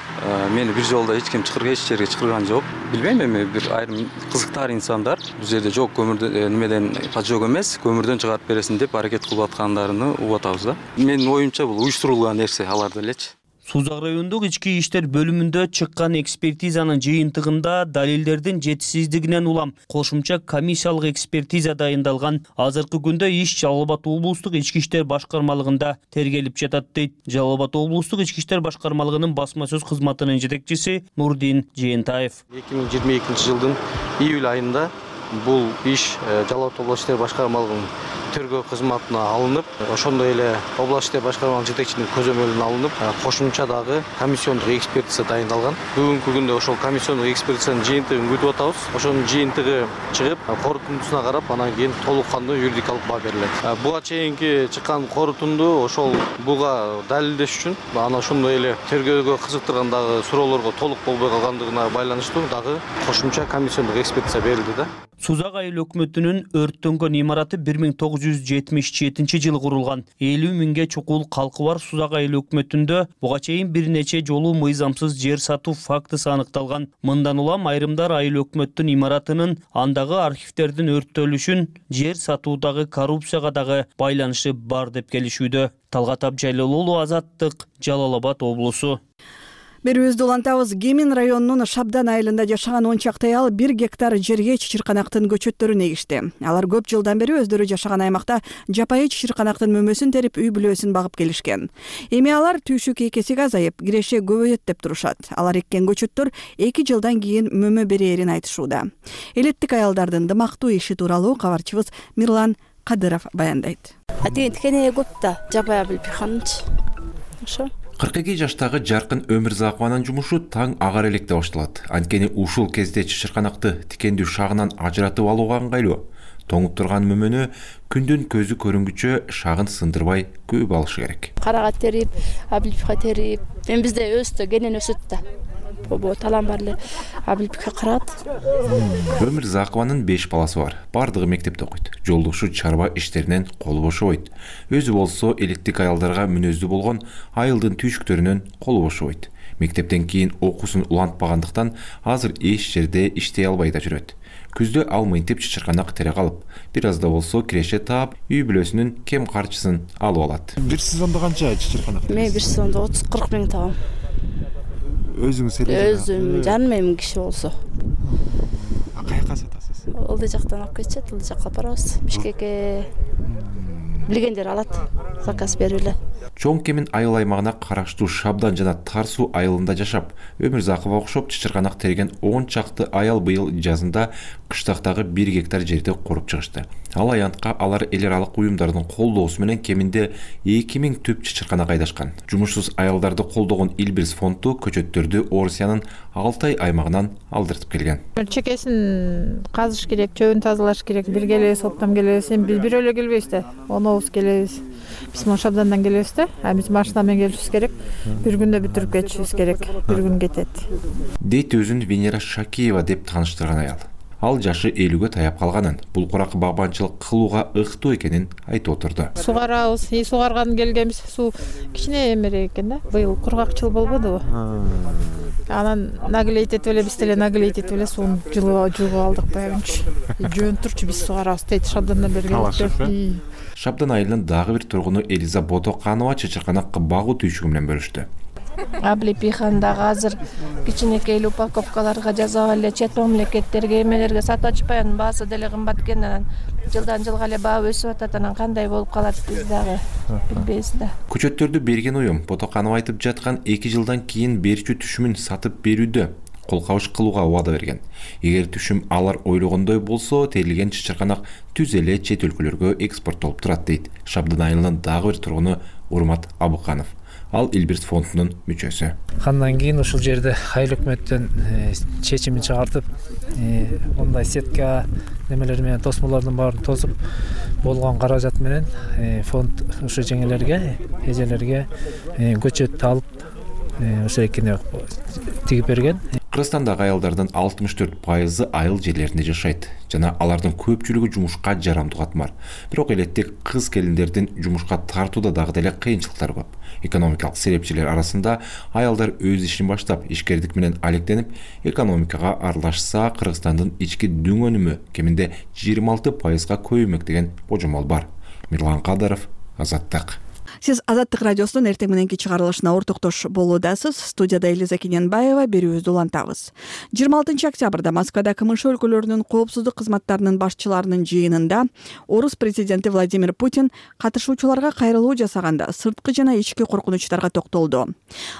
Мени бир жолдо эч ким чакырган, эч жерге чакырган жок. Билбейм эми бир айрым кызыктар инсандар бул жерде жок көмүрдөн немеден поджог эмес, көмүрдөн чыгарып бересин деп аракет кылып аткандарыны угуп атабыз да. Менин оюмча бул уюштурулган нерсе аларда элечи. Сузак райондук ички иштер бөлүмүндө чыккан экспертизанын жыйынтыгында далилдердин жетишсиздигинен улам кошумча комиссиялык экспертиза дайындалган. Азыркы күндө иш Жалал Абад облустук ички иштер башкармалыгында тергелип жатат дейт. Жалал Абад облустук ички иштер башкармалыгынын басма сөз кызматынын жетекчиси Нурдин Жээнтаев. эки миң жыйырма экинчи жылдын июль айында бул иш Жалал Абад облустук иштер башкармалыгынын тергөө кызматына алынып, ошондой эле областык иштер башкармалыгынын жетекчисинин көзөмөлүнө алынып, кошумча дагы комиссиондук экспертиза дайындалган. Бүгүнкү күндө ошол комиссиондук экспертизанын жыйынтыгын күтүп атабыз. Ошонун жыйынтыгы чыгып, корутундусуна карап, анан кийин толук кандуу юридикалык баа берилет. Буга чейинки чыккан корутунду ошол буга далилдеш үчүн анан ошондой эле тергөөгө кызыктырган дагы суроолорго толук болбой калгандыгына байланыштуу дагы кошумча комиссиондук экспертиза берилди да. Сузак айыл өкмөтүнүн өрттөнгөн имараты бир миң тогуз жүз жетимиш жетинчи жылы курулган. элүү миңге чукул калкы бар Сузак айыл өкмөтүндө буга чейин бир нече жолу мыйзамсыз жер сатуу фактысы аныкталган. Мындан улам айрымдар айыл өкмөттүн имаратынын андагы архивдердин өрттөлүшүн жер сатуудагы коррупцияга дагы байланышы бар деп келишүүдө. Талгат Абджалил уулу, Азаттык, Жалал Абад облусу. Берүүбүздү улантабыз. Гемин районунун Шабдан айылында жашаган он чакты аял бир гектар жерге чычырканактын көчөттөрүн эгишти. Алар көп жылдан бери өздөрү жашаган аймакта жапайы чычырканактын мөмөсүн терип, үй бүлөсүн багып келишкен. Эми алар түйшүк экесиге азайып, киреше көбөйөт деп турушат. Алар эккен көчөттөр эки жылдан кийин мөмө берээрин айтышууда. Элеттик аялдардын дымактуу иши тууралуу кабарчыбыз Мирлан Кадыров баяндайт. Атене көп да жапая билип ханч. Ошо кырк эки жаштагы Жаркын Өмүрзакованын жумушу таң агар электе башталат. Анткени ушул кезде чычырканакты тикендүү шагынан ажыратып алууга ыңгайлуу. Тоңуп турган мөмөнү күндүн көзү көрүнгүчө шагын сындырбай көп алышы керек. Карага терип, абилипка терип, мен бизде өстө кенен өсөт да. Бо талан бар эле абилипке карат. Өмүрзакованын беш баласы бар. Бардыгы мектепте окуйт. Жолдошу чарба иштеринен колу бошобойт. Өзү болсо элеттик аялдарга мүнөздүү болгон айылдын түйшүктөрүнөн колу бошобойт. Мектептен кийин окуусун улантпагандыктан азыр эч жерде иштей албай да жүрөт. Күздө ал мынтип чычырканак тере калып, бир аз да болсо киреше таап, үй бүлөсүнүн кем карчысын алып алат. Бир сезондо канча чычырканак? Мен бир сезондо отуз кырк миң табам. Өзүңүз эле? Өзүм, жаным эми киши болсо. Каяка сатасыз? Ылдый жактан алып кетишет, ылдый жакка барабыз. Бишкекке билгендер алат, заказ берип эле. Чоң Кемин айыл аймагына караштуу Шабдан жана Тар суу айылында жашап, Өмүрзакова окшоп чычырканак терген он чакты аял быйыл жазында кыштактагы бир гектар жерди куруп чыгышты. Ал аянтка алар эл аралык уюмдардын колдоосу менен кеминде эки миң түп чычырканак айдашкан. Жумушсуз аялдарды колдогон Илбирс фонду көчөттөрдү Орусиянын Алтай аймагынан алдыртып келген. Чекесин казыш керек, чөбүн тазалаш керек. Бир келебиз, оптом келебиз. Биз бирөө эле келбейбиз да. Онобуз келебиз. Биз моу Шабдандан келебиз да. А биз машина менен келишибиз керек. Бир күндө бүтүрүп кетишибиз керек. Бир күн кетет. Дейт өзүн Венера Шакиева деп тааныштырган аял. Ал жашы элүүгө таяп калганын, бул курак багбанчылык кылууга ыктуу экенин айтып отурду. Сугарабыз, и сугарган келгенбиз. Суу кичине эмерек экен да. Быйыл кургакчыл болбодубу? Анан наглейт этип эле биз деле наглейт этип эле сууну жуугуп алдык баягынчы. Жөн турчу биз сугарабыз дейт Шабдандан бери келип. Шабдан айылынын дагы бир тургуну Элиза Ботоканова чычырканакка багуу түйшүгү менен бөлүштү. Аблипихандагы азыр кичинекей упаковкаларга жасап эле чет мамлекеттерге эмелерге сатып атышпай, анын баасы деле кымбат экен. Анан жылдан жылга эле баа өсүп атат. Анан кандай болуп калат биз дагы билбейбиз да. Көчөттөрдү берген уюм Ботоканова айтып жаткан эки жылдан кийин берүүчү түшүмүн сатып берүүдө кол кабыш кылууга убада берген. Эгер түшүм алар ойлогондой болсо, терилген чычырканак түз эле чет өлкөлөргө экспорттолуп турат дейт Шабдан айылынын дагы бир тургуну Урмат Абыканов. Ал Илбирс фондунун мүчөсү. Андан кийин ушул жерде айыл өкмөттөн чечимин чыгартып, мындай сетка немелер менен тосмолордун баарын тосуп болгон каражат менен фонд ушу жеңелерге, эжелерге көчөт алып ошо экини тигип берген. Кыргызстандагы аялдардын алтымыш төрт пайызы айыл жерлеринде жашайт жана алардын көпчүлүгү жумушка жарамдуу катмар. Бирок элеттик кыз келиндердин жумушка тартууда дагы деле кыйынчылыктар көп. Экономикалык серепчилер арасында аялдар өз ишин баштап, ишкердик менен алектенип, экономикага аралашса, Кыргызстандын ички дүң өнүмү кеминде жыйырма алты пайызга көбөймөк деген божомол бар. Мирлан Кадыров, Азаттык. Сиз Азаттык радиосунун эртең мененки чыгарылышына ортоктош болуудасыз. Студияда Элиза Кененбаева, берүүбүздү улантабыз. жыйырма алтынчы октябрда Москвада КМШ өлкөлөрүнүн коопсуздук кызматтарынын башчыларынын жыйынында Орус президенти Владимир Путин катышуучуларга кайрылуу жасаганда сырткы жана ички коркунучтарга токтолду.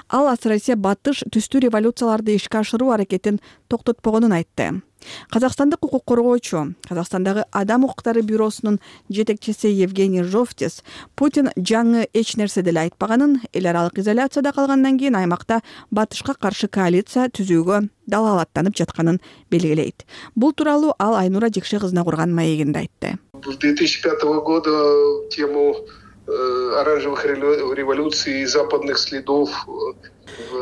Ал асыресе батыш түстүү революцияларды ишке ашыруу аракетин токтотпогонун айтты. Казакстандык укук коргоочу, Казакстандагы Адам укуктары бюросунун жетекчиси Евгений Жовтис Путин жаңы эч нерсе деле айтпаганын, эл аралык изоляцияда калгандан кийин аймакта батышка каршы коалиция түзүүгө далаалаттанып жатканын белгилейт. Бул тууралуу ал Айнура Жекше кызына курган маегинде айтты. С две тысячи пятого года тему оранжевых революций и западных следов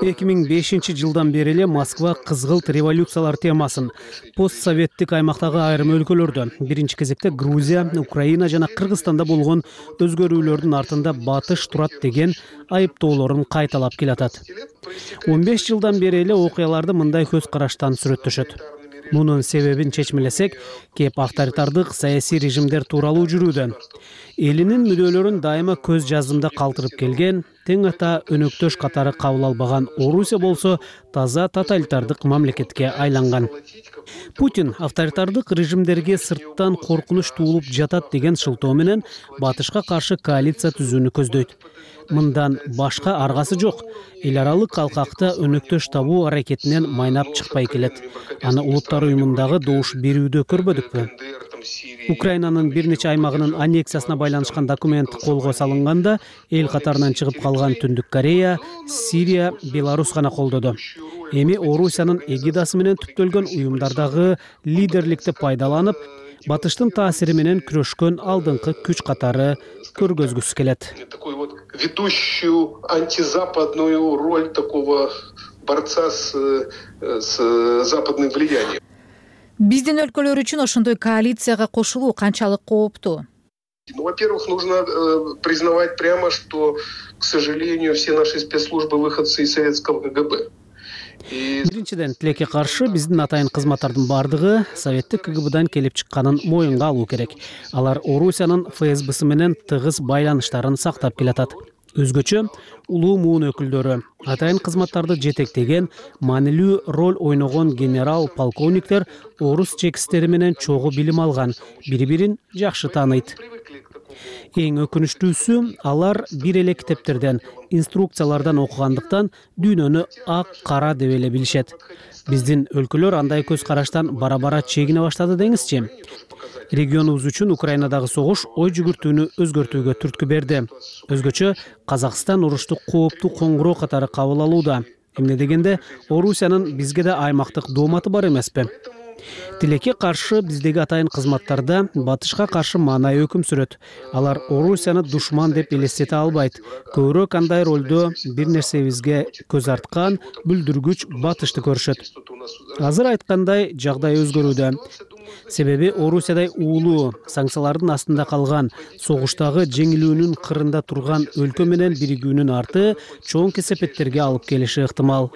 эки миң бешинчи жылдан бери эле Москва кызгылт революциялар темасын постсоветтик аймактагы айрым өлкөлөрдө, биринчи кезекте Грузия, Украина жана Кыргызстанда болгон өзгөрүүлөрдүн артында батыш турат деген айыптоолорун кайталап келатат. он беш жылдан бери эле окуяларды мындай көз караштан сүрөттөшөт. Мунун себебин чечмелесек, кеп авторитардык саясий режимдер тууралуу жүрүүдө. Элинин мүдөлөрүн дайыма көз жазымда калтырып келген, тең ата өнөктөш катары кабыл албаган Орусия болсо таза тоталитардык мамлекетке айланган. Путин авторитардык режимдерге сырттан коркунуч туулуп жатат деген шылтоо менен батышка каршы коалиция түзүүнү көздөйт. Мындан башка аргасы жок. Эл аралык калкакта өнөктөш табуу аракетинен майнап чыкпай келет. Аны улуттар уюмундагы добуш берүүдө көрбөдүкпү? Украинанын бир нече аймагынын аннексиясына байланышкан документ колго салынганда эл катарынан чыгып калган Түндүк Корея, Сирия, Беларусь гана колдоду. Эми Орусиянын эгидасы менен түптөлгөн уюмдардагы лидерликти пайдаланып, батыштын таасири менен күрөшкөн алдыңкы күч катары көргөзгүсү келет. Такую вот ведущую антизападную роль такого борца с, с западным влиянием. Биздин өлкөлөр үчүн ошондой коалицияга кошулуу канчалык кооптуу? Ну, во-первых, нужно э, признавать прямо, что, к сожалению, все наши спецслужбы выходцы из советского КГБ. Биринчиден, тилекке каршы биздин атайын кызматтардын бардыгы советтик КГБдан келип чыкканын моюнга алуу керек. Алар Орусиянын ФСБсы менен тыгыз байланыштарын сактап келатат. Өзгөчө улуу муун өкүлдөрү, атайын кызматтарды жетектеген, маанилүү роль ойногон генерал, полковниктер орус чекистери менен чогуу билим алган, бири-бирин жакшы тааныйт. Эң өкүнүчтүүсү, алар бир эле китептерден, инструкциялардан окугандыктан дүйнөнү ак кара деп эле билишет. Биздин өлкөлөр андай көз караштан бара-бара чегине баштады деңизчи. Регионубуз үчүн Украинадагы согуш ой жүгүртүүнү өзгөртүүгө түрткү берди. Өзгөчө Казакстан урушту кооптуу коңгуроо катары кабыл алууда. Эмне дегенде, Орусиянын бизге да аймактык дооматы бар эмеспи? Тилекке каршы биздеги атайын кызматтарда батышка каршы маанай өкүм сүрөт. Алар Орусияны душман деп элестете албайт. Көбүрөөк андай ролдо бир нерсебизге көз арткан, бүлдүргүч батышты көрүшөт. Азыр айткандай жагдай өзгөрүүдө. Себеби Орусиядай уулуу, санкциялардын астында калган, согуштагы жеңилүүнүн кырында турган өлкө менен биригүүнүн арты чоң кесепеттерге алып келиши ыктымал.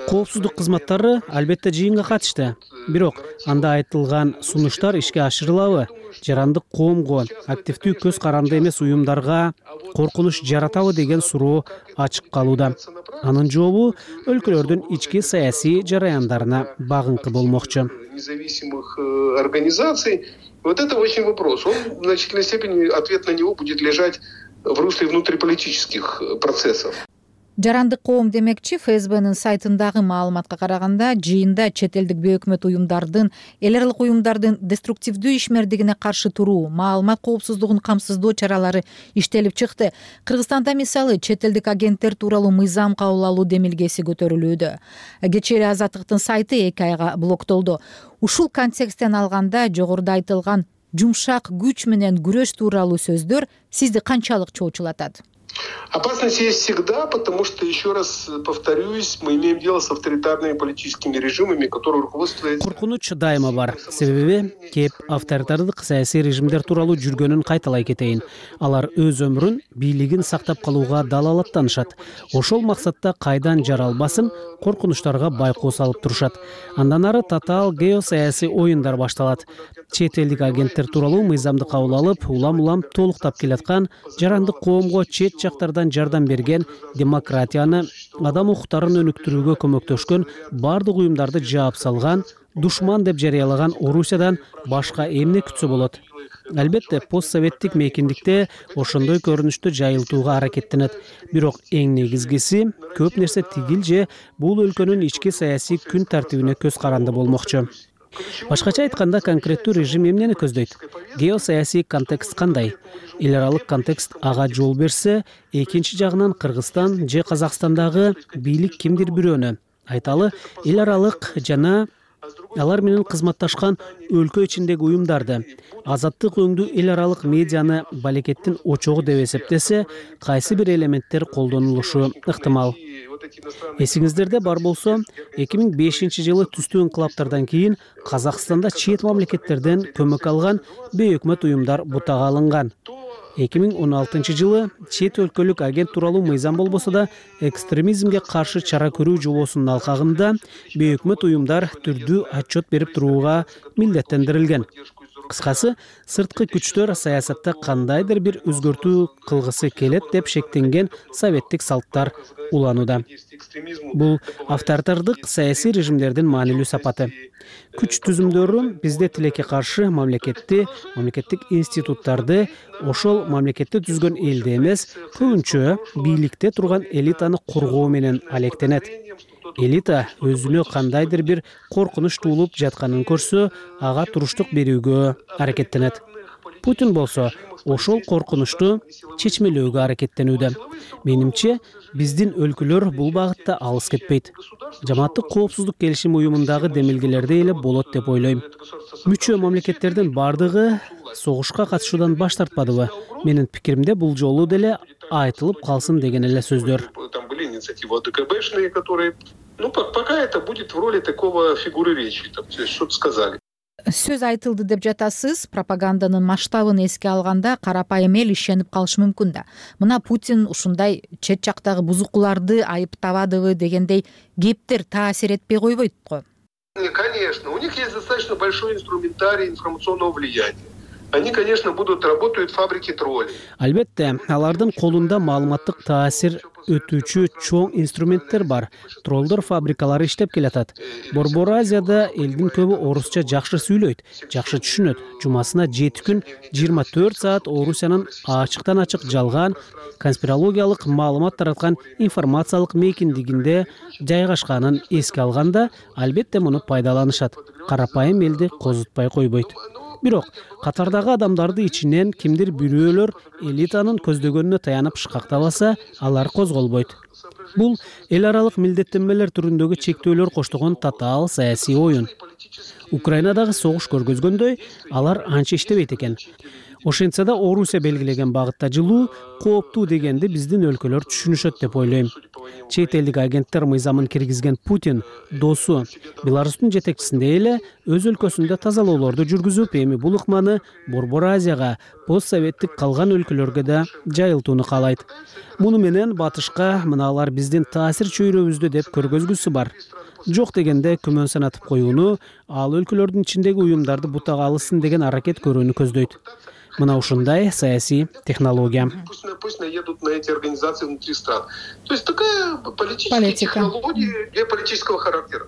Коопсуздук кызматтары албетте жыйынга катышты. Бирок анда айтылган сунуштар ишке ашырылабы? Жарандык коомго, активдүү көз каранды эмес уюмдарга коркунуч жаратабы деген суроо ачык калууда. Анын жообу өлкөлөрдүн ички саясий жараяндарына багыңкы болмокчу. Независимых э, организаций. Вот это очень вопрос. Он в значительной степени, ответ на него будет лежать в русле внутриполитических процессов. Жарандык коом демекчи, ФСБнын сайтындагы маалыматка караганда, жыйында чет элдик бейөкмөт уюмдардын, эл аралык уюмдардын деструктивдүү ишмердигине каршы туруу, маалымат коопсуздугун камсыздоо чаралары иштелип чыкты. Кыргызстанда мисалы чет элдик агенттер тууралуу мыйзам кабыл алуу демилгеси көтөрүлүүдө. Кечээ эле Азаттыктын сайты эки айга блоктолду. Ушул контексттен алганда, жогоруда айтылган жумшак күч менен күрөш тууралуу сөздөр сизди канчалык чоочулатат? Опасность есть всегда, потому что, еще раз повторюсь, мы имеем дело с авторитарными политическими режимами, которые руководствуются... Коркунуч дайыма бар. Себеби кеп авторитардык саясий режимдер тууралуу жүргөнүн кайталай кетейин. Алар өз өмүрүн, бийлигин сактап калууга далалаттанышат. Ошол максатта кайдан жаралбасын коркунучтарга байкоо салып турушат. Андан ары татаал геосаясий оюндар башталат. Чет элдик агенттер тууралуу мыйзамды кабыл алып, улам-улам толуктап келаткан, жарандык коомго чет жактардан жардам берген, демократияны, адам укуктарын өнүктүрүүгө көмөктөшкөн бардык уюмдарды жаап салган, душман деп жарыялаган Орусиядан башка эмне күтсө болот? Албетте, постсоветтик мейкиндикте ошондой көрүнүштү жайылтууга аракеттенет. Бирок эң негизгиси, көп нерсе тигил же бул өлкөнүн ички саясий күн тартибине көз каранды болмокчу. Башкача айтканда, конкреттүү режим эмнени көздөйт? Геосаясий контекст кандай? Эл аралык контекст ага жол берсе, экинчи жагынан Кыргызстан же Казакстандагы бийлик кимдир бирөөнү, айталы, эл аралык жана алар менен кызматташкан өлкө ичиндеги уюмдарды, азаттык өңдүү эл аралык медианы балекеттин очогу деп эсептесе, кайсы бир элементтер колдонулушу ыктымал. Эсиңиздерде бар болсо, эки миң бешинчи жылы түстүү инкылаптардан кийин Казакстанда чет мамлекеттерден көмөк алган бейөкмөт уюмдар бутага алынган. эки миң он алтынчы жылы чет өлкөлүк агент тууралуу мыйзам болбосо да, экстремизмге каршы чара көрүү жобосунун алкагында бейөкмөт уюмдар түрдүү отчет берип турууга милдеттендирилген. Кыскасы, сырткы күчтөр саясатта кандайдыр бир өзгөртүү кылгысы келет деп шектенген советтик салттар уланууда. Бул авторитардык саясий режимдердин маанилүү сапаты. Күч түзүмдөрү бизде тилекке каршы мамлекетти, мамлекеттик институттарды, ошол мамлекетти түзгөн элди эмес, көбүнчө бийликте турган элитаны коргоо менен алектенет. Элита өзүнө кандайдыр бир коркунуч туулуп жатканын көрсө, ага туруштук берүүгө аракеттенет. Путин болсо, ошол коркунучту чечмелөөгө аракеттенүүдө. Менимче, биздин өлкөлөр бул багытта алыс кетпейт. Жамааттык коопсуздук келишим уюмундагы демилгелерде эле болот деп ойлойм. Мүчө мамлекеттердин бардыгы согушка катышуудан баш тартпадыбы? Менин пикиримде бул жолу деле айтылып калсын деген эле сөздөр. Там были инициативы ОДКБшные, которые, ну, пока это будет в роли такого фигуры речи, там, что-то сказали. сөз айтылды деп жатасыз. Пропаганданын масштабын эске алганда карапайым эл ишенип калышы мүмкүн да. Мына Путин ушундай чет жактагы бузукуларды айыптабадыбы дегендей кептер таасир этпей койбойт го. Конечно, у них есть достаточно большой инструментарий информационного влияния. Они, конечно, будут работают фабрики троллей. Албетте, алардын колунда маалыматтык таасир өтүүчү чоң инструменттер бар. Троллдор фабрикалары иштеп келатат. Борбор Азияда элдин көбү орусча жакшы сүйлөйт, жакшы түшүнөт. Жумасына жети күн жыйырма төрт саат Орусиянын ачыктан ачык жалган конспирологиялык маалымат тараткан информациялык мейкиндигинде жайгашканын эске алганда, албетте муну пайдаланышат. Карапайым элди козутпай койбойт. Бирок катардагы адамдарды ичинен кимдир бирөөлөр элитанын көздөгөнүнө таянып шкактабаса, алар козголбойт. Бул эл аралык милдеттенмелер түрүндөгү чектөөлөр коштогон татаал саясий оюн. Украинадагы согуш көргөзгөндөй, алар анча иштебейт экен. Ошентсе да Орусия белгилеген багытта жылуу кооптуу дегенди биздин өлкөлөр түшүнүшөт деп ойлойм. Чет элдик агенттер мыйзамын киргизген Путин досу Беларустун жетекчисинде эле өз өлкөсүндө тазалоолорду жүргүзүп, эми бул ыкманы Борбор Азияга, постсоветтик калган өлкөлөргө да жайылтууну каалайт. Муну менен батышка мыналар биздин таасир чөйрөбүздү деп көргөзгүсү бар. Жок дегенде күмөн санатып коюуну, ал өлкөлөрдүн ичиндеги уюмдарды бутага алышсын деген аракет көрүүнү көздөйт. Мына ушундай саясий технология. Пусть наедут на эти организации внутри стран. То есть такая политическая технология геополитического характера.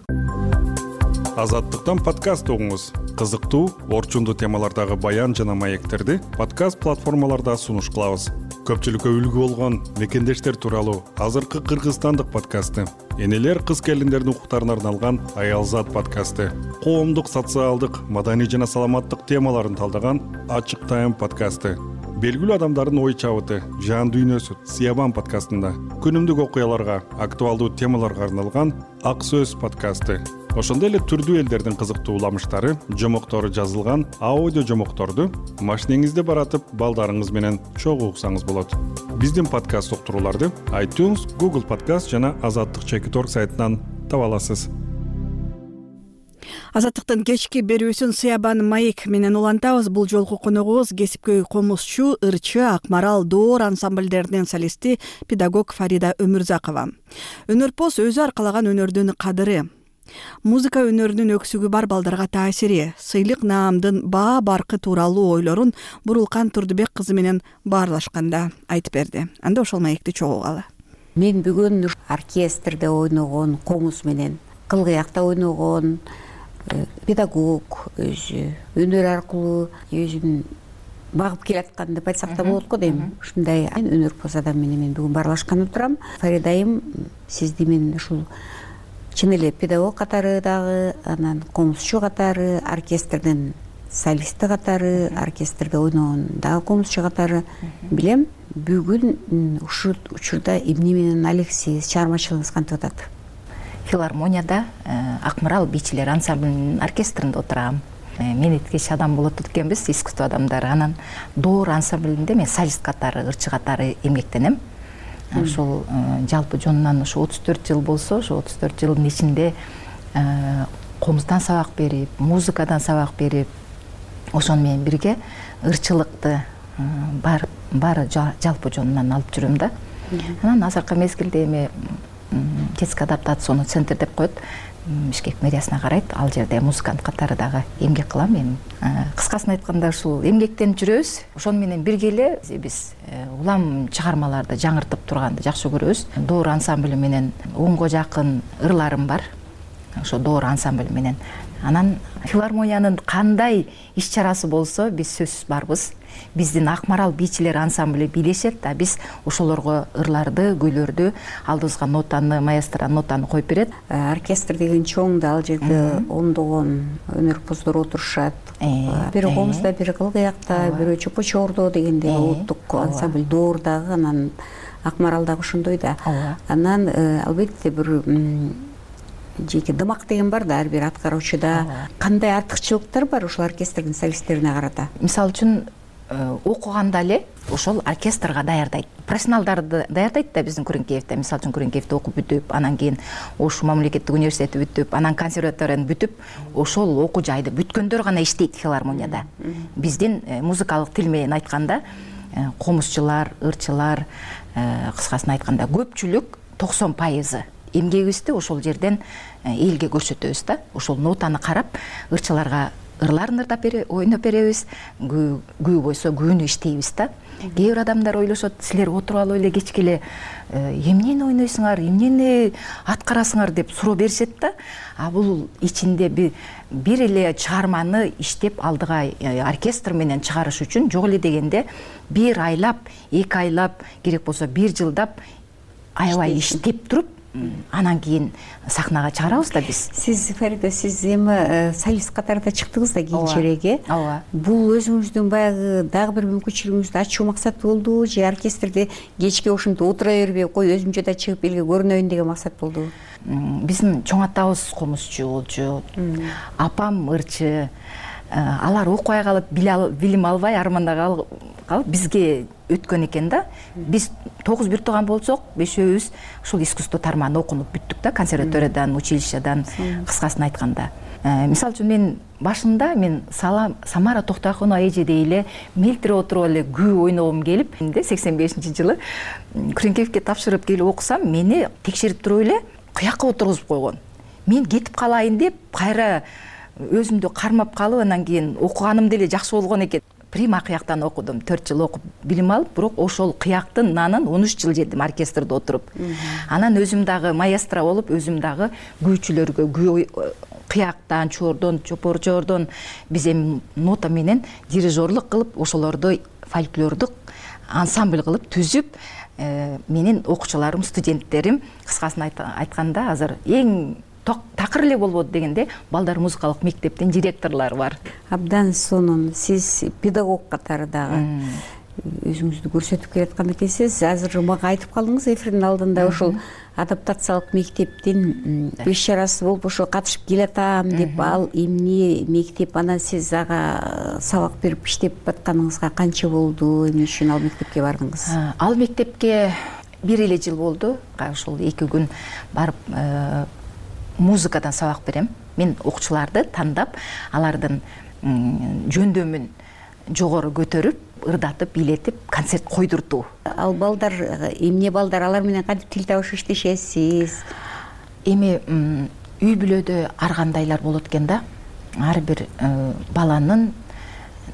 Азаттыктан подкаст угуңуз. Кызыктуу, орчундуу темалардагы баян жана маектерди подкаст платформаларда сунуш кылабыз. Көпчүлүккө үлгү болгон мекендештер тууралуу азыркы кыргызстандык подкасты, энелер кыз келиндердин укуктарына арналган Аялзат подкасты, коомдук, социалдык, маданий жана саламаттык темаларын талдаган Ачык Тайм подкасты, белгилүү адамдардын ой чабыты, жан дүйнөсү Сиябан подкастында, күнүмдүк окуяларга, актуалдуу темаларга арналган Ак Сөз подкасты. Ошондой эле түрдүү элдердин кызыктуу уламыштары, жомоктору жазылган аудио жомокторду машинеңизде баратып, балдарыңыз менен чогуу уксаңыз болот. Биздин подкаст уктурууларды iTunes, Google Podcast жана азаттык чекит точка орг сайтынан таба аласыз. Азаттыктын кечки берүүсүн Сиябан маек менен улантабыз. Бул жолку коногубуз кесипкөй комузчу, ырчы, Акмарал, Доор ансамбльдеринин солисти, педагог Фарида Өмүрзакова. Өнөрпоз өзү аркалаган өнөрдүн кадыры. Музыка өнөрүнүн өксүгү бар балдарга таасири, сыйлык наамдын баа баркы тууралуу ойлорун Бурулкан Турдубек кызы менен баарлашканда айтып берди. Анда ошол маекти чогулгалы. Мен бүгүн оркестрде ойногон, комуз менен кылгыякта ойногон педагог өзү өнөр аркылуу өзүн багып келаткан деп айтсак да болот го дейм. Ушундай өнөрпоз адам менен мен бүгүн баарлашканы турам. Фаридайым, сизди мен ушул чын эле педагог катары дагы, анан комузчу катары, оркестрдин солисти катары, оркестрде ойногон дагы комузчу катары билем. Бүгүн ушул учурда эмне менен алексиз чыгармачылыгыңыз кантип атат? Филармонияда Акмарал бийчилер ансамблинин оркестринде отурам. Мен эткеч адам болот экенбиз, искусство адамдары. Анан Доор ансамблинде мен солист катары, ырчы катары эмгектенем. Ошол жалпы жонунан ушу отуз төрт жыл болсо, ошо отуз төрт жылдын ичинде комуздан сабак берип, музыкадан сабак берип, ошону менен бирге ырчылыкты бар баары жалпы жонунан алып жүрөм да. Анан азыркы мезгилде эми детский адаптационный центр деп коет, Бишкек мэриясына карайт. Ал жерде музыкант катары дагы эмгек кылам. Эми кыскасын айтканда ушул эмгектенип жүрөбүз. Ошону менен бирге эле биз улам чыгармаларды жаңыртып турганды жакшы көрөбүз. Доор ансамбль менен онго жакын ырларым бар. Ошо Доор ансамбль менен. Анан филармониянын кандай иш чарасы болсо биз сөзсүз барбыз. Биздин Акмарал бийчилер ансамблі бийлешет да, биз ошолорго ырларды, көйлөрдү, алдыбызга нотаны, маэстро нотаны коюп берет. Оркестр деген чоң да, ал жерде ондогон өнөрпоздор отурушат. Бири комузда, бири кылгыякта, бири чопочордо дегенде улуттук ансамбль Доор дагы, анан Акмарал дагы ошондой да. Анан албетте бир жеке дымак деген бар да, ар бир аткаруучуда. Кандай артыкчылыктар бар ушул оркестрдин солисттерине карата? Мисалы үчүн окуганда эле ошол оркестрга даярдайт, профессионалдарды даярдайт да. Биздин Күреңкеевде, мисалы үчүн, Күреңкеевде окуп бүтүп, анан кийин Ош мамлекеттик университети бүтүп, анан консерваторияны бүтүп, ошол окуу жайды бүткөндөр гана иштейт филармонияда. Биздин музыкалык тил менен айтканда комузчулар, ырчылар, кыскасын айтканда көпчүлүк токсон пайызы эмгегибизди ошол жерден элге көрсөтөбүз да. Ошол нотаны карап ырчыларга ырларын ырдап ойноп беребиз, күү бойсо күүнү иштейбиз да. Кээ бир адамдар ойлошот, силер отуруп алып эле кечке эле эмнени ойнойсуңар, эмнени аткарасыңар деп суроо беришет да. А бул ичинде бир эле чыгарманы иштеп алдыга оркестр менен чыгарыш үчүн жок эле дегенде бир айлап, эки айлап, керек болсо бир жылдап аябай иштеп туруп, анан кийин сахнага чыгарабыз да биз. Сиз, Фарида, сиз эми солист катарында чыктыңыз да кийинчерээк, э? Ооба. Бул өзүңүздүн баягы дагы бир мүмкүнчүлүгүңүздү ачуу максат болдубу же оркестрде кечке ошентип отура бербей, кой өзүм жада чыгып элге көрүнөйүн деген максат болдубу? Биздин чоң атабыз комузчу болчу, апам ырчы. Алар окубай калып, билим албай, армандай калып бизге өткөн экен да. Биз тогуз бир тууган болсок, бешөөбүз ушул искусство тармагына окунуп бүттүк да, консерваториядан, училищедан, кыскасын айтканда. Мисалы үчүн мен башында мен Самара Токтоакунова эжедей эле мелтире отуруп эле күү ойногум келип, сексен бешинчи жылы Күреңкеевге тапшырып келип окусам, мени текшерип туруп эле кыякка отургузуп койгон. Мен кетип калайын деп, кайра өзүмдү кармап калып, анан кийин окуганым деле жакшы болгон экен. Прима кыяктан окудум, төрт жыл окуп билим алып, бирок ошол кыяктын нанын он үч жыл жедим оркестрде отуруп. Анан өзүм дагы маэстро болуп, өзүм дагы күүчүлөргө күү кыяктан, чордон, чопорчордон биз эми нота менен дирижерлук кылып, ошолорду фольклордук ансамбль кылып түзүп, менин окуучуларым, студенттерим, кыскасын айтканда азыр эң такыр эле болбоду дегенде балдар музыкалык мектептин директорлору бар. Абдан сонун. Сиз педагог катары дагы өзүңүздү көрсөтүп келаткан экенсиз. Азыр мага айтып калдыңыз эфирдин алдында, ошол адаптациялык мектептин беш чарасы болуп ошо катышып келатам деп, ал эмне мектеп, анан сиз ага сабак берип иштеп атканыңызга канча болду, эмне үчүн ал мектепке бардыңыз? Ал мектепке бир эле жыл болду. Ошол эки күн барып музыкадан сабак берем. Мен окуучуларды тандап, алардын жөндөмүн жогору көтөрүп, ырдатып, бийлетип, концерт койдуртуу. Ал балдар эмне балдар, алар менен кантип тил табыш иштешесиз? Эми үй бүлөдө ар кандайлар болот экен да. Ар бир баланын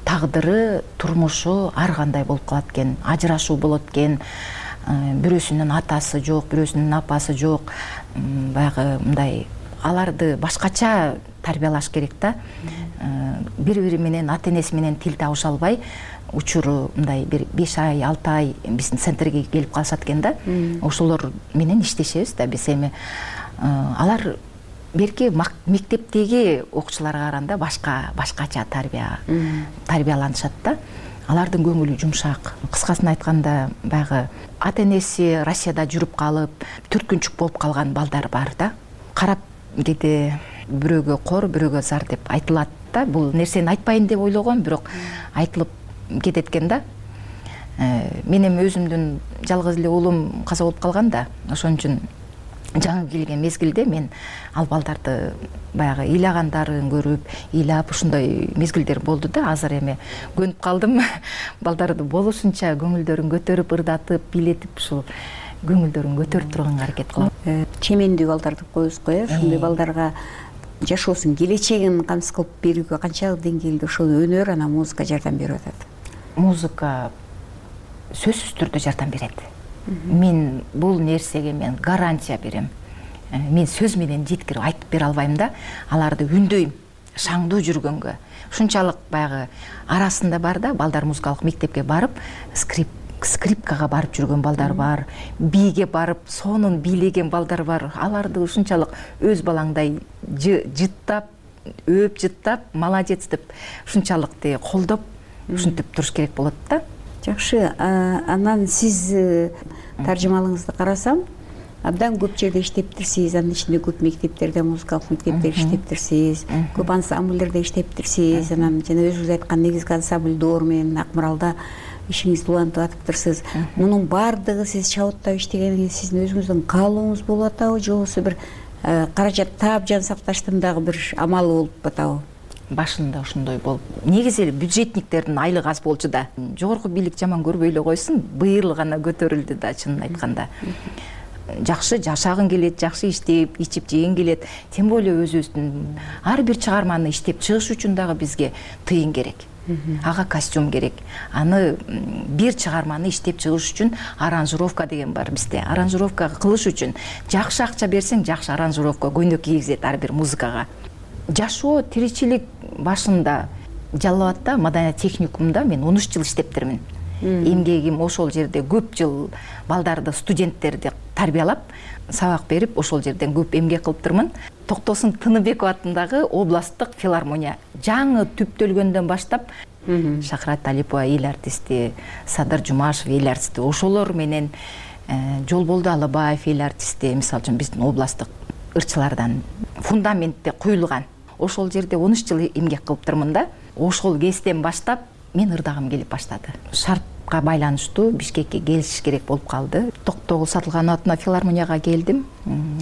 тагдыры, турмушу ар кандай болуп калат экен. Ажырашуу болот экен. Бирөөсүнүн атасы жок, бирөөсүнүн апасы жок. Баягы мындай аларды башкача тарбиялаш керек да. Бири-бири менен, ата-энеси менен тил табыша албай, учуру мындай бир беш ай, алты ай биздин центрге келип калышат экен да. Ошолор менен иштешебиз да биз. Эми алар берки мектептеги окуучуларга караганда башка башкача тарбия тарбияланышат да. Алардын көңүлү жумшак. Кыскасын айтканда, баягы ата-энеси Россияда жүрүп калып, түркүнчүк болуп калган балдар бар да. Карап кете бирөөгө кор, бирөөгө зар деп айтылат да. Бул нерсени айтпайын деп ойлогом, бирок айтылып кетет экен да. Мен эми өзүмдүн жалгыз эле уулум каза болуп калган да. Ошон үчүн жаңы келген мезгилде мен ал балдарды баягы ыйлагандарын көрүп, ыйлап ушундай мезгилдер болду да. Азыр эми көнүп калдым. Балдарды болушунча көңүлдөрүн көтөрүп, ырдатып, бийлетип, ушул көңүлдөрүн көтөрүп турганга аракет кылам. Чемендүү балдар деп коебуз го, э? Ушундай балдарга жашоосунун келечегин камсыз кылып берүүгө канчалык деңгээлде ошол өнөр, анан музыка жардам берип атат? Музыка сөзсүз түрдө жардам берет. Мен бул нерсеге мен гарантия берем. Мен сөз менен жеткирип айтып бере албайм да. Аларды үндөйм, шаңдуу жүргөнгө. Ушунчалык баягы арасында бар да, балдар музыкалык мектепке барып, скрип скрипкага барып жүргөн балдар бар, бийге барып, сонун бийлеген балдар бар. Аларды ушунчалык өз балаңдай жыттап, өөп жыттап, молодец деп ушунчалык колдоп, ушинтип туруш керек болот да. Жакшы, анан сиз таржымалыңызды карасам, абдан көп жерде иштептирсиз, анын ичинде көп мектептерде, музыкалык мектептерде иштептирсиз, көп ансамбльдерде иштептирсиз, анан жана өзүңүз айткан негизги ансамбль Доор менен Ак Маралда ишиңизди улантып атыптырсыз. Мунун баардыгы сиз чабыттап иштегенге сиздин өзүңүздүн каалооңуз болуп атабы, же болбосо бир каражат таап жан сакташтын дагы бир амалы болуп атабы? Башында ошондой болуп, негизи эле бюджетниктердин айлыгы аз болчу да. Жогорку бийлик жаман көрбөй эле койсун, быйыл гана көтөрүлдү да, чынын айтканда. Жакшы жашагың келет, жакшы иштеп, ичип жеген келет. Тем более өзүбүздүн ар бир чыгарманы иштеп чыгыш үчүн дагы бизге тыйын керек. Ага костюм керек. Аны бир чыгарманы иштеп чыгыш үчүн аранжировка деген бар бизде. Аранжировка кылыш үчүн жакшы акча берсең, жакшы аранжировка көйнөк кийгизет ар бир музыкага. Жашоо, тиричилик башында Жалал Абадта маданият техникумда мен он үч жыл иштептермин. Эмгегим ошол жерде көп жыл балдарды, студенттерди тарбиялап, сабак берип, ошол жерден көп эмгек кылыптырмын. Токтосун Тыныбеков атындагы областтык филармония жаңы түптөлгөндөн баштап Шахрат Алипова эл артисти, Садар Жумашев эл артисти, ошолор менен Жолболду Алыбаев эл артисти, мисалы үчүн биздин областтык ырчылардан фундаментте куюлган. Ошол жерде он үч жыл эмгек кылыптырмын да. Ошол кезден баштап мен ырдагым келип баштады. Шартка байланыштуу Бишкекке келиш керек болуп калды. Токтогул Сатылганов атына филармонияга келдим.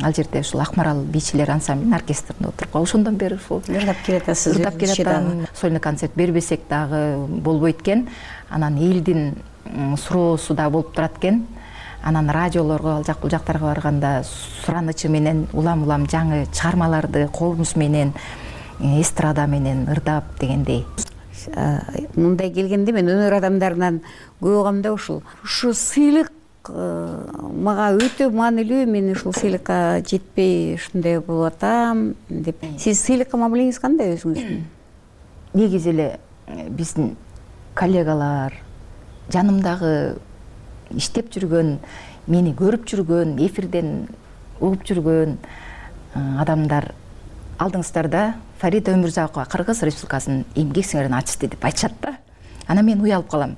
Ал жерде ушул Акмарал бийчилер ансамблинин оркестринде отуруп, ошондон бери ушул ырдап келатасыз. Ырдап келатам. Сольный концерт бербесек дагы болбойт экен. Анан элдин суроосу да болуп турат экен. Анан радиолорго, ал жак бул жактарга барганда суранычы менен улам-улам жаңы чыгармаларды колумуз менен, эстрада менен ырдап дегендей. Мындай келгенде мен өнөр адамдарынан көп да ушул ушу сыйлык мага өтө маанилүү, мен ушул сыйлыкка жетпей ушундай болуп атам деп. Сиз сыйлыкка мамилеңиз кандай өзүңүздүн? Негизи эле биздин коллегалар, жанымдагы иштеп жүргөн, мени көрүп жүргөн, эфирден угуп жүргөн адамдар алдыңыздарда Фарида Өмүрзакова Кыргыз Республикасынын эмгек сиңирин артисти деп айтышат да. Ана мен уялып калам.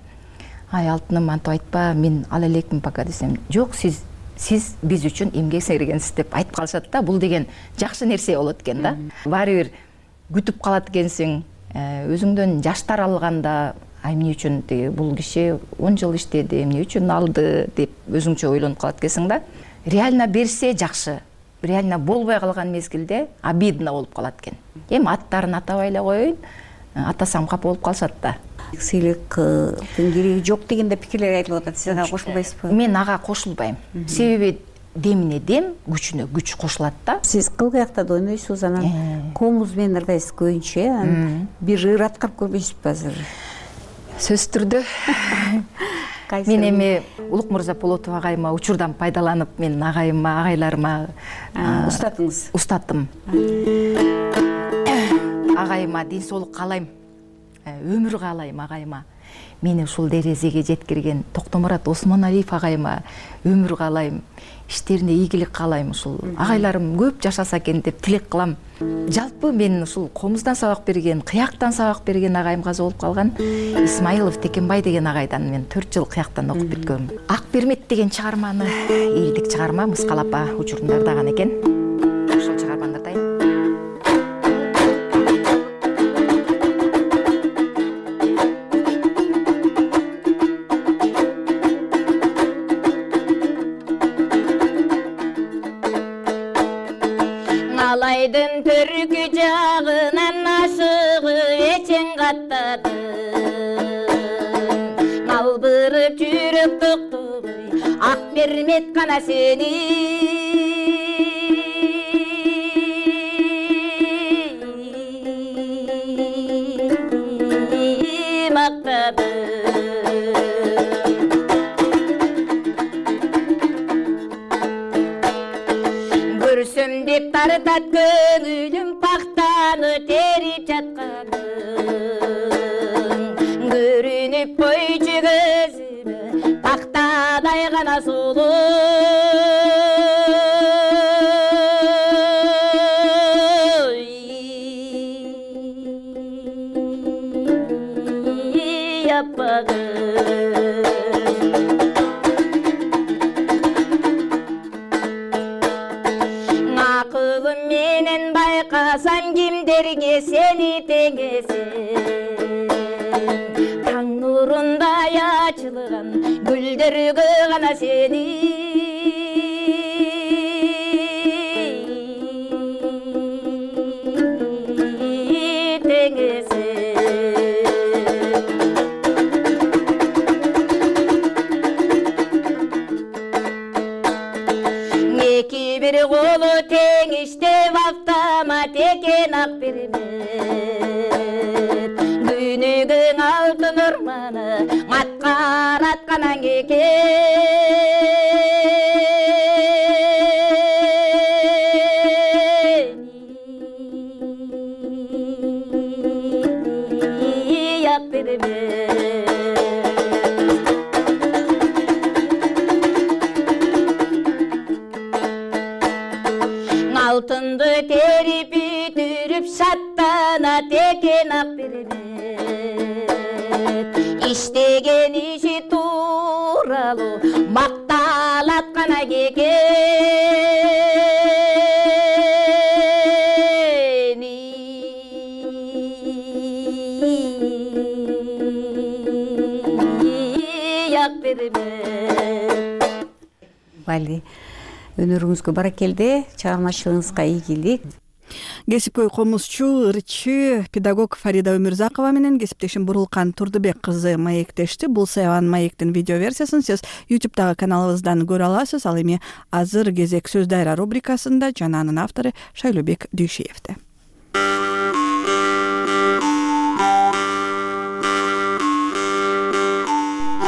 Ай алтыным, антип айтпа, мен ал элекмин пока десем, жок, сиз сиз биз үчүн эмгек сиңир экенсиз деп айтып калышат да. Бул деген жакшы нерсе болот экен да. Баары бир күтүп калат экенсиң, өзүңдөн жаштар алганда ай эмне үчүн бул киши он жыл иштеди, эмне үчүн алды деп өзүңчө ойлонуп калат экенсиң да. Реально берсе жакшы, реально болбой калган мезгилде обидно болуп калат экен. Эми аттарын атабай эле коеюн, атасам капа болуп калышат да. Сыйлыктын кереги жок дегенде пикирлер айтылып атат. Сиз ага кошулбайсызбы? Мен ага кошулбайм. Себеби демине дем, күчүнө күч кошулат да. Сиз кылгыякта да ойнойсуз, анан комуз менен ырдайсыз көбүнчө, анан бир ыр аткарып көрбөйсүзбү азыр? Сөзсүз түрдө. Мен эми Улук Мырза Полотов агайыма учурдан пайдаланып, мен агайыма, агайларыма устатыңыз. Устаттым. Агайыма ден соолук каалайм, өмүр каалайм агайыма. Мени ушул дерезеге жеткирген Токтомурат Осмоналиев агайыма өмүр каалайм, иштерине ийгилик каалайм. Ушул агайларым көп жашаса экен деп тилек кылам. Жалпы мен ушул комуздан сабак берген, кыяктан сабак берген агайым каза болуп калган. Исмаилов Текенбай деген агайдан мен төрт жыл кыяктан окуп бүткөм. Ак Бермет деген чыгарманы, элдик чыгарма, Мыскал апа учурунда ырдаган экен. Ошол чыгарманы ырдайм. Алайдын төркү жагынан ашыгы эчең каттады. Албырып жүрөк токтогой, Ак Бермет гана сени мактады. Көрсөм деп тартат көңүлүм пактаны терип жатканың. Көрүнүп койчу көзүмө пактадай гана сулуу. Акылым менен байкасам кимдерге сени теңесем. Таң нурундай ай ачылган гүлдөргө гана сени бир колу тең иштеп автомат экен ак бермет дүйнөгүң алтын орманы маткар атканан экен ак бермет алтынды терип бүтүрүп шаттанат экен ак бермет иштеген иши тууралуу макталат гана кекени ак бермет Вали өнөрүңүзгө баракелде, чыгармачылыгыңызга ийгилик. Кесипкөй комузчу, ырчы, педагог Фарида Өмүрзакова менен кесиптешим Бурулкан Турдубек кызы маектешти. Бул Саябан маектин видео версиясын сиз ютубтагы каналыбыздан көрө аласыз. Ал эми азыр кезек сөз дайра рубрикасында жана анын автору Шайлообек Дүйшиевде.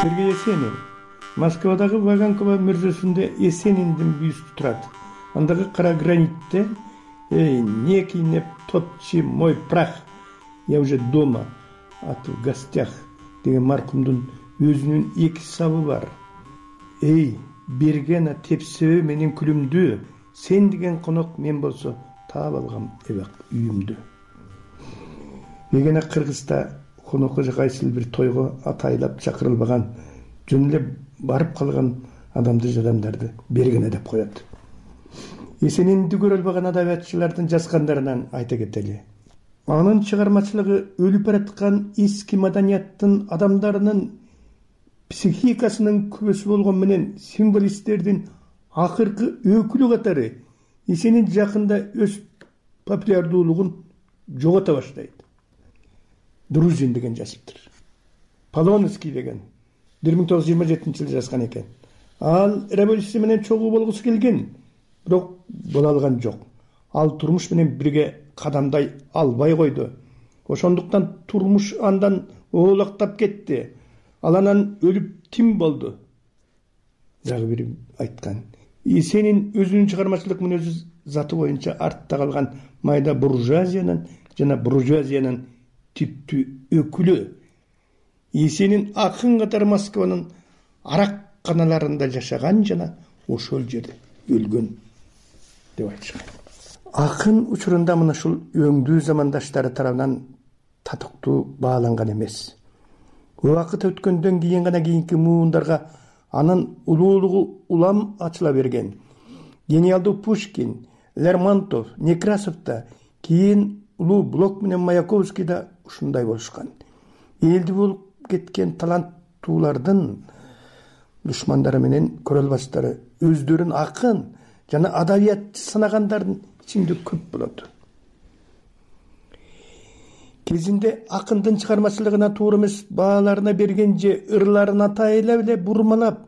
Сергей Есенин Москвадагы Ваганкова мүрзөсүндө Есениндин бюсту турат. Андагы кара гранитте «Эй, не кинеп топчи мой прах, я уже дома, а ты в гостях» деген маркумдун өзүнүн эки сабы бар. «Эй, бергена тепсебе менин күлүмдү, сен деген конок мен болсо таап алгам эбак үйүмдү». Мегена Кыргызда конокко же кайсыл бир тойго атайлап чакырылбаган, жөн эле барып калган адамды жадамдарды бергене деп коет. Есенинди көрө албаган адабиятчылардын жазгандарынан айта кетели. Анын чыгармачылыгы өлүп бараткан эски маданияттын адамдарынын психикасынын күбөсү болгон менен символисттердин акыркы өкүлү катары Есенин жакында өз популярдуулугун жогото баштайт. Друзин деген жазыптыр. Полонский деген бир миң тогуз жүз жыйырма жетинчи жылы жазган экен. Ал революция менен чогуу болгусу келген, бирок боло алган жок. Ал турмуш менен бирге кадамдай албай койду. Ошондуктан турмуш андан оолактап кетти. Ал анан өлүп тим болду. Дагы бир айткан. Есенин өзүнүн чыгармачылык мүнөзү заты боюнча артта калган майда буржуазиянын жана буржуазиянын типтүү өкүлү. Есенин акын катары Москванын аракканаларында жашаган жана ошол жерде өлгөн деп айтышкан. Акын учурунда мына ушул өңдүү замандаштары тарабынан татыктуу бааланган эмес. Убакыт өткөндөн кийин гана кийинки муундарга анын улуулугу улам ачыла берген. Гениалдуу Пушкин, Лермонтов, Некрасов да, кийин улуу Блок менен Маяковский да ушундай болушкан. Элди болуп кеткен таланттуулардын душмандары менен көрөлбастары өздөрүн акын жана адабиятчы санагандардын ичинде көп болот. Кезинде акындын чыгармачылыгына туура эмес бааларына берген же ырларын атайлап эле бурмалап,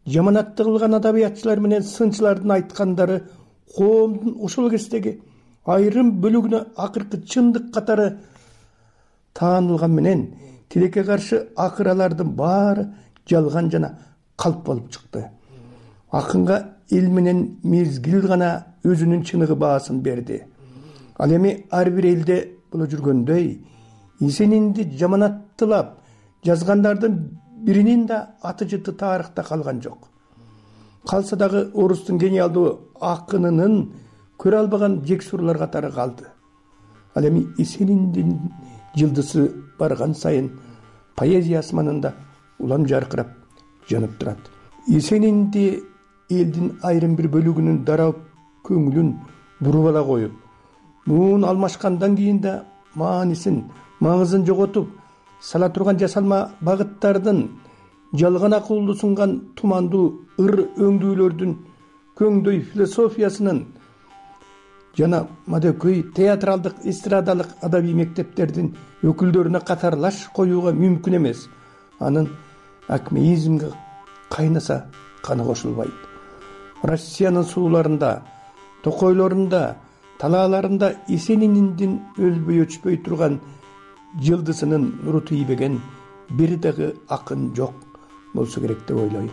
жаманатты кылган адабиятчылар менен сынчылардын айткандары коомдун ошол кездеги айрым бөлүгүнө акыркы чындык катары таанылган менен тилекке каршы акыралардын баары жалган жана калп болуп чыкты. Акынга эл менен мезгил гана өзүнүн чыныгы баасын берди. Ал эми ар бир элде боло жүргөндөй Есенинди жаманаттылап жазгандардын биринин да аты жыты тарыхта калган жок. Калса дагы орустун гениалдуу акынынын көрө албаган жексурлар катары калды. Ал эми Есениндин жылдысы барган сайын поэзия асманында улам жаркырап жанып турат. Есенинди элдин айрым бир бөлүгүнүн дарап көңүлүн буруп ала коюп, муун алмашкандан кийин да маанисин, маңызын жоготуп, сала турган жасалма багыттардын жалган акылды сунган тумандуу ыр өңдүүлөрдүн көңдөй философиясынын жана мадөкөй театралдык эстрадалык адабий мектептердин өкүлдөрүнө катарлаш коюуга мүмкүн эмес. Анын акмеизмге кайнаса каны кошулбайт. Россиянын сууларында, токойлорунда, талааларында Есенининдин өлбөй өчпөй турган жылдысынын нуру тийбеген бир дагы акын жок болсо керек деп ойлойм.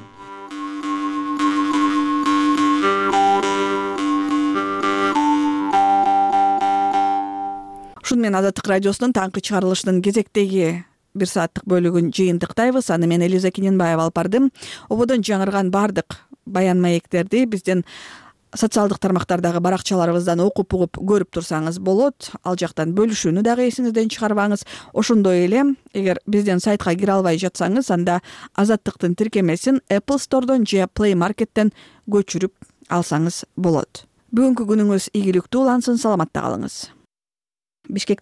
Ушуну менен Азаттык радиосунун таңкы чыгарылышынын кезектеги бир сааттык бөлүгүн жыйынтыктайбыз. Аны мен Элиза Киненбаева алып бардым. Ободон жаңырган бардык баян маектерди биздин социалдык тармактардагы баракчаларыбыздан окуп угуп көрүп турсаңыз болот. Ал жактан бөлүшүүнү дагы эсиңизден чыгарбаңыз. Ошондой эле эгер биздин сайтка кире албай жатсаңыз, анда Азаттыктын тиркемесин Apple Store'дон же Play Market'тен көчүрүп алсаңыз болот. Бүгүнкү күнүңүз ийгиликтүү улансын, саламатта калыңыз. Бишкекте